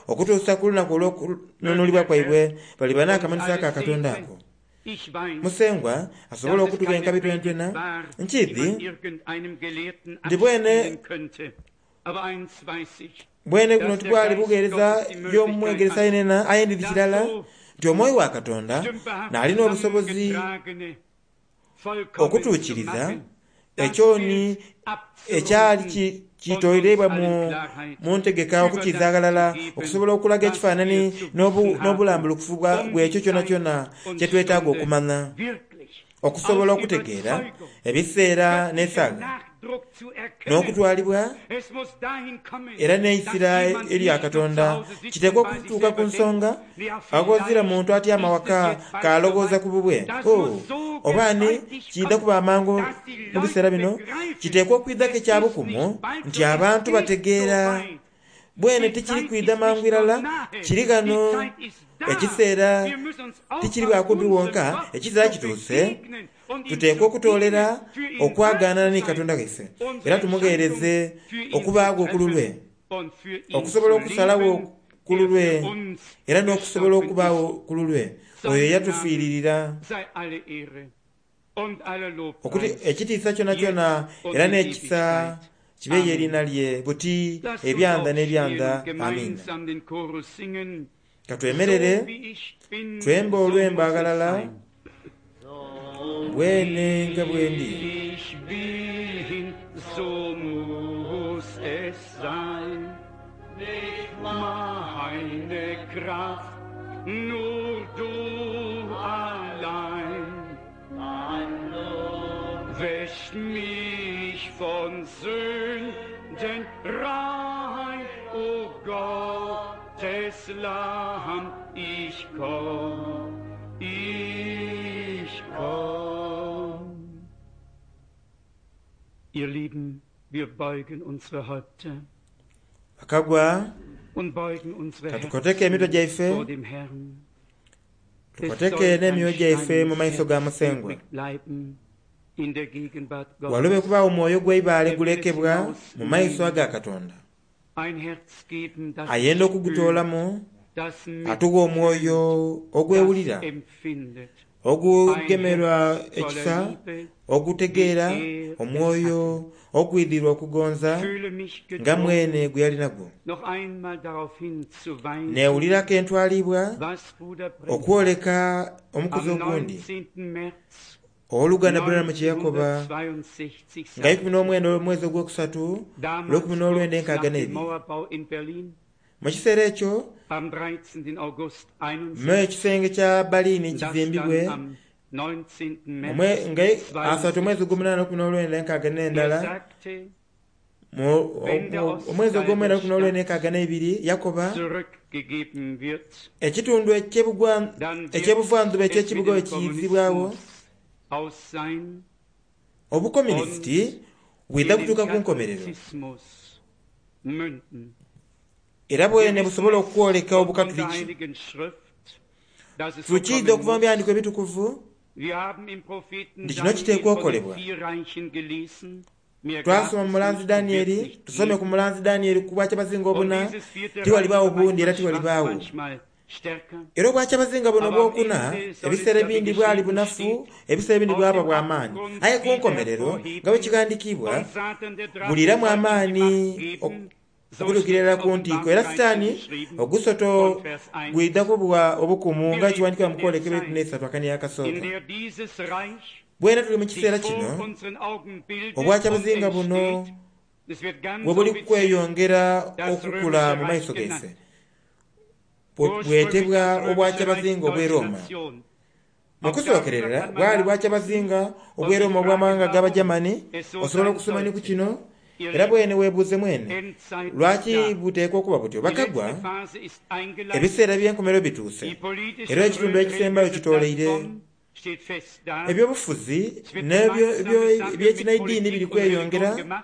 okutuusa ku lunaku olw'okununulibwa kwaibwe baliba n'akamanhiso aka Katonda ako. Musengwa asobola okutuba enkabi twentwena nkiidhi nti bwene bwene guno tibwali bugheereza y'omwegeresa yenena, aye ndidhi kirala nti omwoyo wa Katonda n'alina obusobozi okutuukiriza ekyoni ekyali kitoirebwa mu ntegeka okukiza aghalala okusobola okulaga ekifaananyi n'obulambulukufu bw'ekyo kyonakyona kye twetaaga okumanya okusobola okutegeera ebiseera n'esaaga n'okutwalibwa era n'eisira erya Katonda. Kiteekwa okutuuka ku nsonga aghazira muntu atyama waka k'alowooza ku bubwe oba ani kiidha kuba amangu mu biseera bino. Kiteekwa okwidhaku ekyabukumu nti abantu bategeera bwene tikiri kwidha mangu irala, kiri ghano ekiseera tikiri bwakumpi wonka, ekiseera kituuse. Tuteekwa okutoolera okwagaanana ni Katonda waife era tumugheereze okubaagho ku lulwe, okusobola okusalagho ku lulwe era n'okusobola okubaagho ku lulwe oyo eyatufiiririra. Ekitiisa kyonakyona era n'ekisa kibe eriina lye buti ebyanda n'ebyanda. Amiina. Katwemerere twembe olwembo aghalala bwene nga bwendi. So muss es sein, nicht meine Kraft, nur du allein. Wäscht mich von Sünden rein, o Gottes Lamm, ich komm, ich komm. Ihr Lieben, wir beugen unsere Häupter Bakagwa, und beugen unsere katukoteke emitwe Herzen gyaife, vor dem Herrn. tukoteke n'emyoyo gyaife mu maiso ga Musengwa. Übrig bleiben in der Gegenwart Walobe Gottes. kubaawo omwoyo gw'eibaale gulekebwa mu maiso aga Katonda. Ein Herz geben, das Ayenda spürt, okugutoolamu das atuwa omwoyo ogwewulira, das empfindet. ogugemerwa ekisa, ogutegeera, omwoyo ogwidhirwa okugonza Fühle mich nga gedrungen, mwene gwe yali nagwo. noch einmal darauf hinzuweisen, Neewulirako entwalibwa was Bruder Branham okwoleka omukuzi am ogundi neunzehnten März owooluganda Branham kye yakoba neunzehnhundertzweiundsechzig nga ikumi n'omwenda omwezi ogwokusatu Damals olw'ekumi n'olwenda kurz enkaaga nach dem n'ebiri. Mauerbau in Berlin Mu kiseera ekyo am dreizehnten August mu einundsechzig, ekisenge kya Berlin das kizimbibwe dann am neunzehnten omwe- März nga asatu omwezi ogw'omunaana olw'ekumi n'olwenda enkaaga er n'endala sagte, mu- Wenn der o- omwezi ogw'omwenda olw'ekumi n'olwenda enkaaga n'ebiri yakoba zurückgegeben wird, ekitundu eky'ebugwa- dann wird ekyebuvanzuba es mit eky'ekibuga dem bwe kiyizibwawo Kommunismus aus sein obukomunisiti bwidha in kutuuka den ku nkomerero Katholizismus münden. era bwene busobola okwoleka Von der obukatuliki. Heiligen Schrift, dass es so Tukiidha kommen okuva mu muss. byandiko ebitukuvu Wir haben im Propheten nti kino Daniel kiteekwa von den okukolebwa. vier Reichen gelesen. Mehr gab Twasoma es mu mulanzi nicht und wird's Danieri, nicht tusome ku geben. mulanzi Danieri ku bwakyabazinga Und obuna, dieses vierte Reich tiwalibaawo war bundi era manchmal schwach, tiwalibaawo. manchmal stärker. Era obwakyabazinga buno Aber am obwokuna Ende soll es ebiseera ja, wie ebindi bwali geschrieben bunafu, steht, ebiseera ebindi aus bwaba dem bw'amaanyi. Abgrund Aye ku wieder nkomerero nga bwe hervorheben kigandikibwa und Satan der Drache buliramu soll ihm die amaanyi Macht geben. So okutuukirira steht ddala ku ntiiko. Era Offenbarung Sitaani dreizehn geschrieben ogusoto von Vers eins. gwidha kubwa obukumu Wir nga leben kiwandikibwa mu in der kwolekebwa Zeit, ekumi n'esatu akani in akasooka. der dieses Reich Bwena tuli mu sich kiseera vor kino unseren Augen bildet und obwakyabazinga buno entsteht. Es wird ganz bwe buli offiziell kweyongera das okukula römische mu Reich maiso genannt. gaife. Bwe- Ursprünglich bwetebwa das römische Reich obwakyabazinga deutsche obw'e Roma. Nation. Mu Auch darüber kusookerera kann man bwali nachlesen bwakyabazinga und obw'e sich Roma fragen, obw'amawanga warum g'Abajamani. es so Osobola sein okusoma ni ku sollte. kino Ihr era Lieben, bwene weebuuze mwene Endzeit ist lwaki da. buteekwa okuba butyo. Die Bakagwa letzte Phase ist eingeleitet. ebiseera by'enkomerero bituuse Die politische era ekitundu ekisembayo religiöse kitooleire. Plattform steht fest da. Ebyobufuzi Es wird n'ebyo gemeinsame ebyo- Sache mit eby'ekinaidiini biri Politik und Religion kweyongera, gemacht,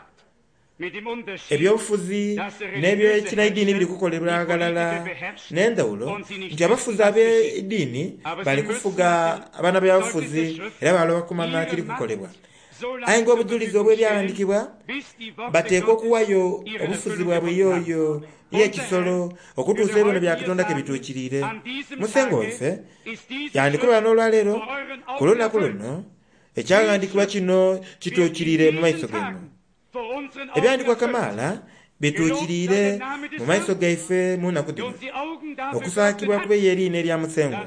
mit dem Unterschied, ebyobufuzi dass der religiöse n'ebyekinaidiini Herrscher biri kukolebwa die aghalala Politiker beherrscht n'endawulo und sie nicht nti abafuzi wissen, was geschieht. ab'eddiini Aber bali sie müssen kufuga nach dem abaana Zeugnis der b'abafuzi Schrift era baloba kumanya ihre kiri Macht kukolebwa. so Aye lange zur ng'obujulizi Verfügung stellen, obw'ebyawandiikibwa bis die Worte bateekwa Gottes okuwayo ihre obufuzi Erfüllung bwabwe gefunden haben. yooyo Unser y'ekisolo Herr okutuusa würde ebyono bya heute hier Katonda ke sagen, bituukiriire. an diesem Musengo Tage waife ist diese yandikubala Schrift n'olwaleero vor euren ku Augen lunaku erfüllt. luno Die ekyawandiikibwa Schrift kino wird in kituukiriire mu diesen maiso geno. Tagen vor unseren Augen Ebyandikwa erfüllt. kamaala Bituukiriire mu maiso gaife mu nnaku dhino. Okusaakibwa kube y'eriina erya Musengwa.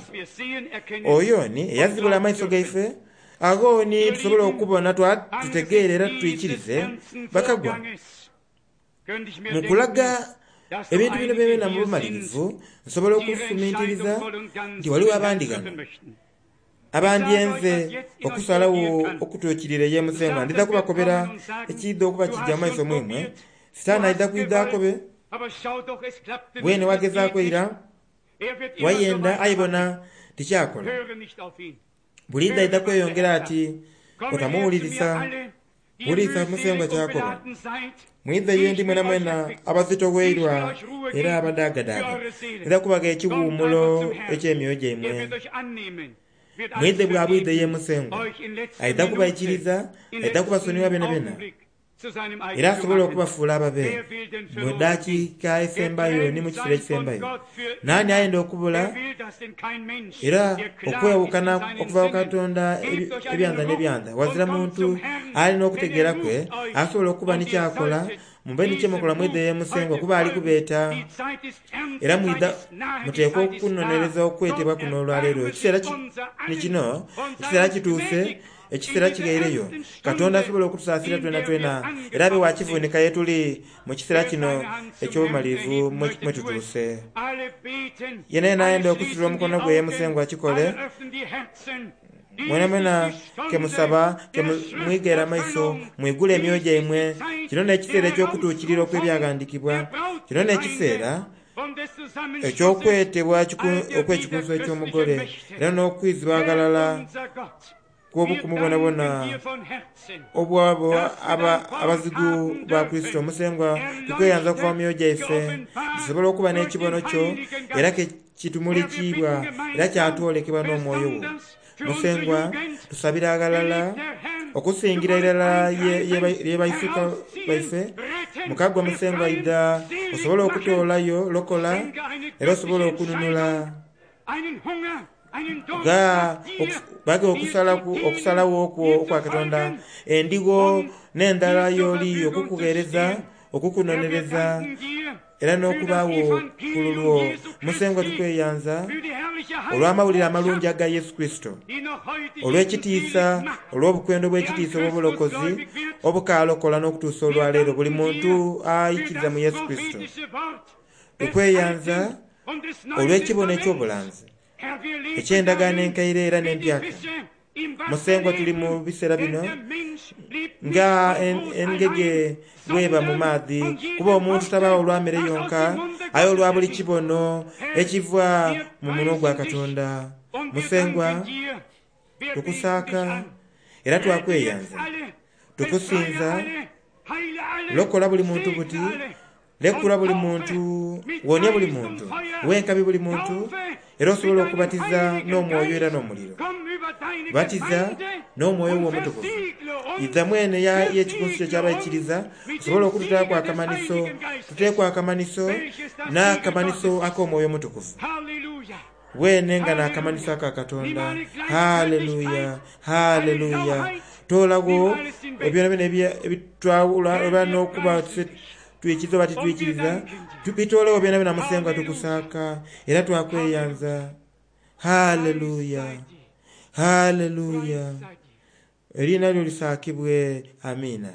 Oyo ni eyazibula amaiso gaife, agho ni tusobola okubona tutegeere era twikirize. Bakagwa, mu kulaga ebintu bino byona mu bumalirivu, nsobola okufumintiriza nti waliwo abandi ghano abandyenze okusalagho okutuukirira ye Musengwa. Ndidha kubakobera ekiidha okuba kijja mu maiso mwimwe. Sitaani aidha kwidha akobe, bwene wagezaaku eira, wayenda aye bona tikyakola. Buliidho aidha kweyongera ati otamuwulirisa, wulirisa Musengwa kyakoba. Mwidhe ye ndi mwena mwena abazitoweirwa era abadaagadaaga, ndidha kubagha ekiwuumulo eky'emyoyo gyaimwe. Mwidhe bwa bwidhe ye Musengwa, aidha kubaikiriza, aidha kubasonyiwa byenabyenna, era asobola okubafuula ababe mu dakiika esembayo ni mu kiseera ekisembayo. Naani ayenda okubula era okwewukana okuva ku Katonda ebyanza n'ebyanza? Wazira muntu alina okutegeera kwe asobola okuba ni kyakola. Mube ni kyemukola mwidhe ye Musengwa, kuba ali kubeeta. Era mwidha muteekwa okunonereza okwetebwa kuno olwaleero. Ekiseera ni kino, ekiseera kituuse, ekiseera kighaireyo. Katonda asobola okutusaasira twena twena era abe wa kivunika ye tuli mu kiseera kino eky'obumalirivu mwe tutuuse. Yena yena ayenda okusitula omukono gwe ye Musengwa akikole. Mwena mwena kemusaba, kemwigere amaiso, mwigule emyoyo gyaimwe. Kino n'ekiseera eky'okutuukirira okw'ebyaghandiikibwa. Kino n'ekiseera eky'okwetebwa okw'ekikunsu eky'omugole era n'okwizibwa aghalala kw'obukumu bwonabwona obw'abo abazigu ba Kurisito. Musengwa, tukweyanza okuva mu myoyo gyaife tusobole okuba n'ekibono kyo era kitumulikiibwa era kyatwolekebwa n'omwoyo wo. Musengwa, tusabira aghalala okusingira irala ye baisuka baife. Mukagwa Musengwa idha osobole okutoolayo lokola era osobole okununula. Bage okusalagho okwo okwa Katonda, endigo n'endhala y'oli okukugheereza, okukunonereza era n'okubaagho ku lulwo. Musengwa tukweyanza olw'amawulire amalungi aga Yesu Kurisito, olw'ekitiisa, olw'obukwendo obw'ekitiisa obw'obulokozi obukaalokola n'okutuusa olwaleero buli muntu aikiriza mu Yesu Kurisito. Tukweyanza olw'ekibono eky'obulanzi eky'endagaano enkaire era n'empyaka. Musengwa tuli mu biseera bino nga engege bweba mu maadhi, kuba omuntu tabaawo olwa mere yonka, aye olwa buli kibono ekiva mu munwa gwa Katonda. Musengwa tukusaaka era twakweyanza, tukusinza. Lokola buli muntu buti, lekula buli muntu, wonia buli muntu, wenkabi buli muntu, era osobola okubatiza n'omwoyo era n'omuliro. Batiza n'omwoyo wo omutukuvu. Idha mwene y'ekikunsu kyo ekyabaikiriza, osobola okututaaku akamanhiso, tuteeku akamanhiso n'akamanhiso ak'omwoyo omutukuvu. Bwene nga n'akamanhiso aka Katonda. Haleluya, haleluya. Toolagho ebyonabyona ebitwawula oba n'okuba twikiriza oba titwikiriza, bitoolagho byonabyona Musengwa tukusaaka era twakweyanza. Haleluya, haleluya. Eriina lyo lisaakibwe. Amiina.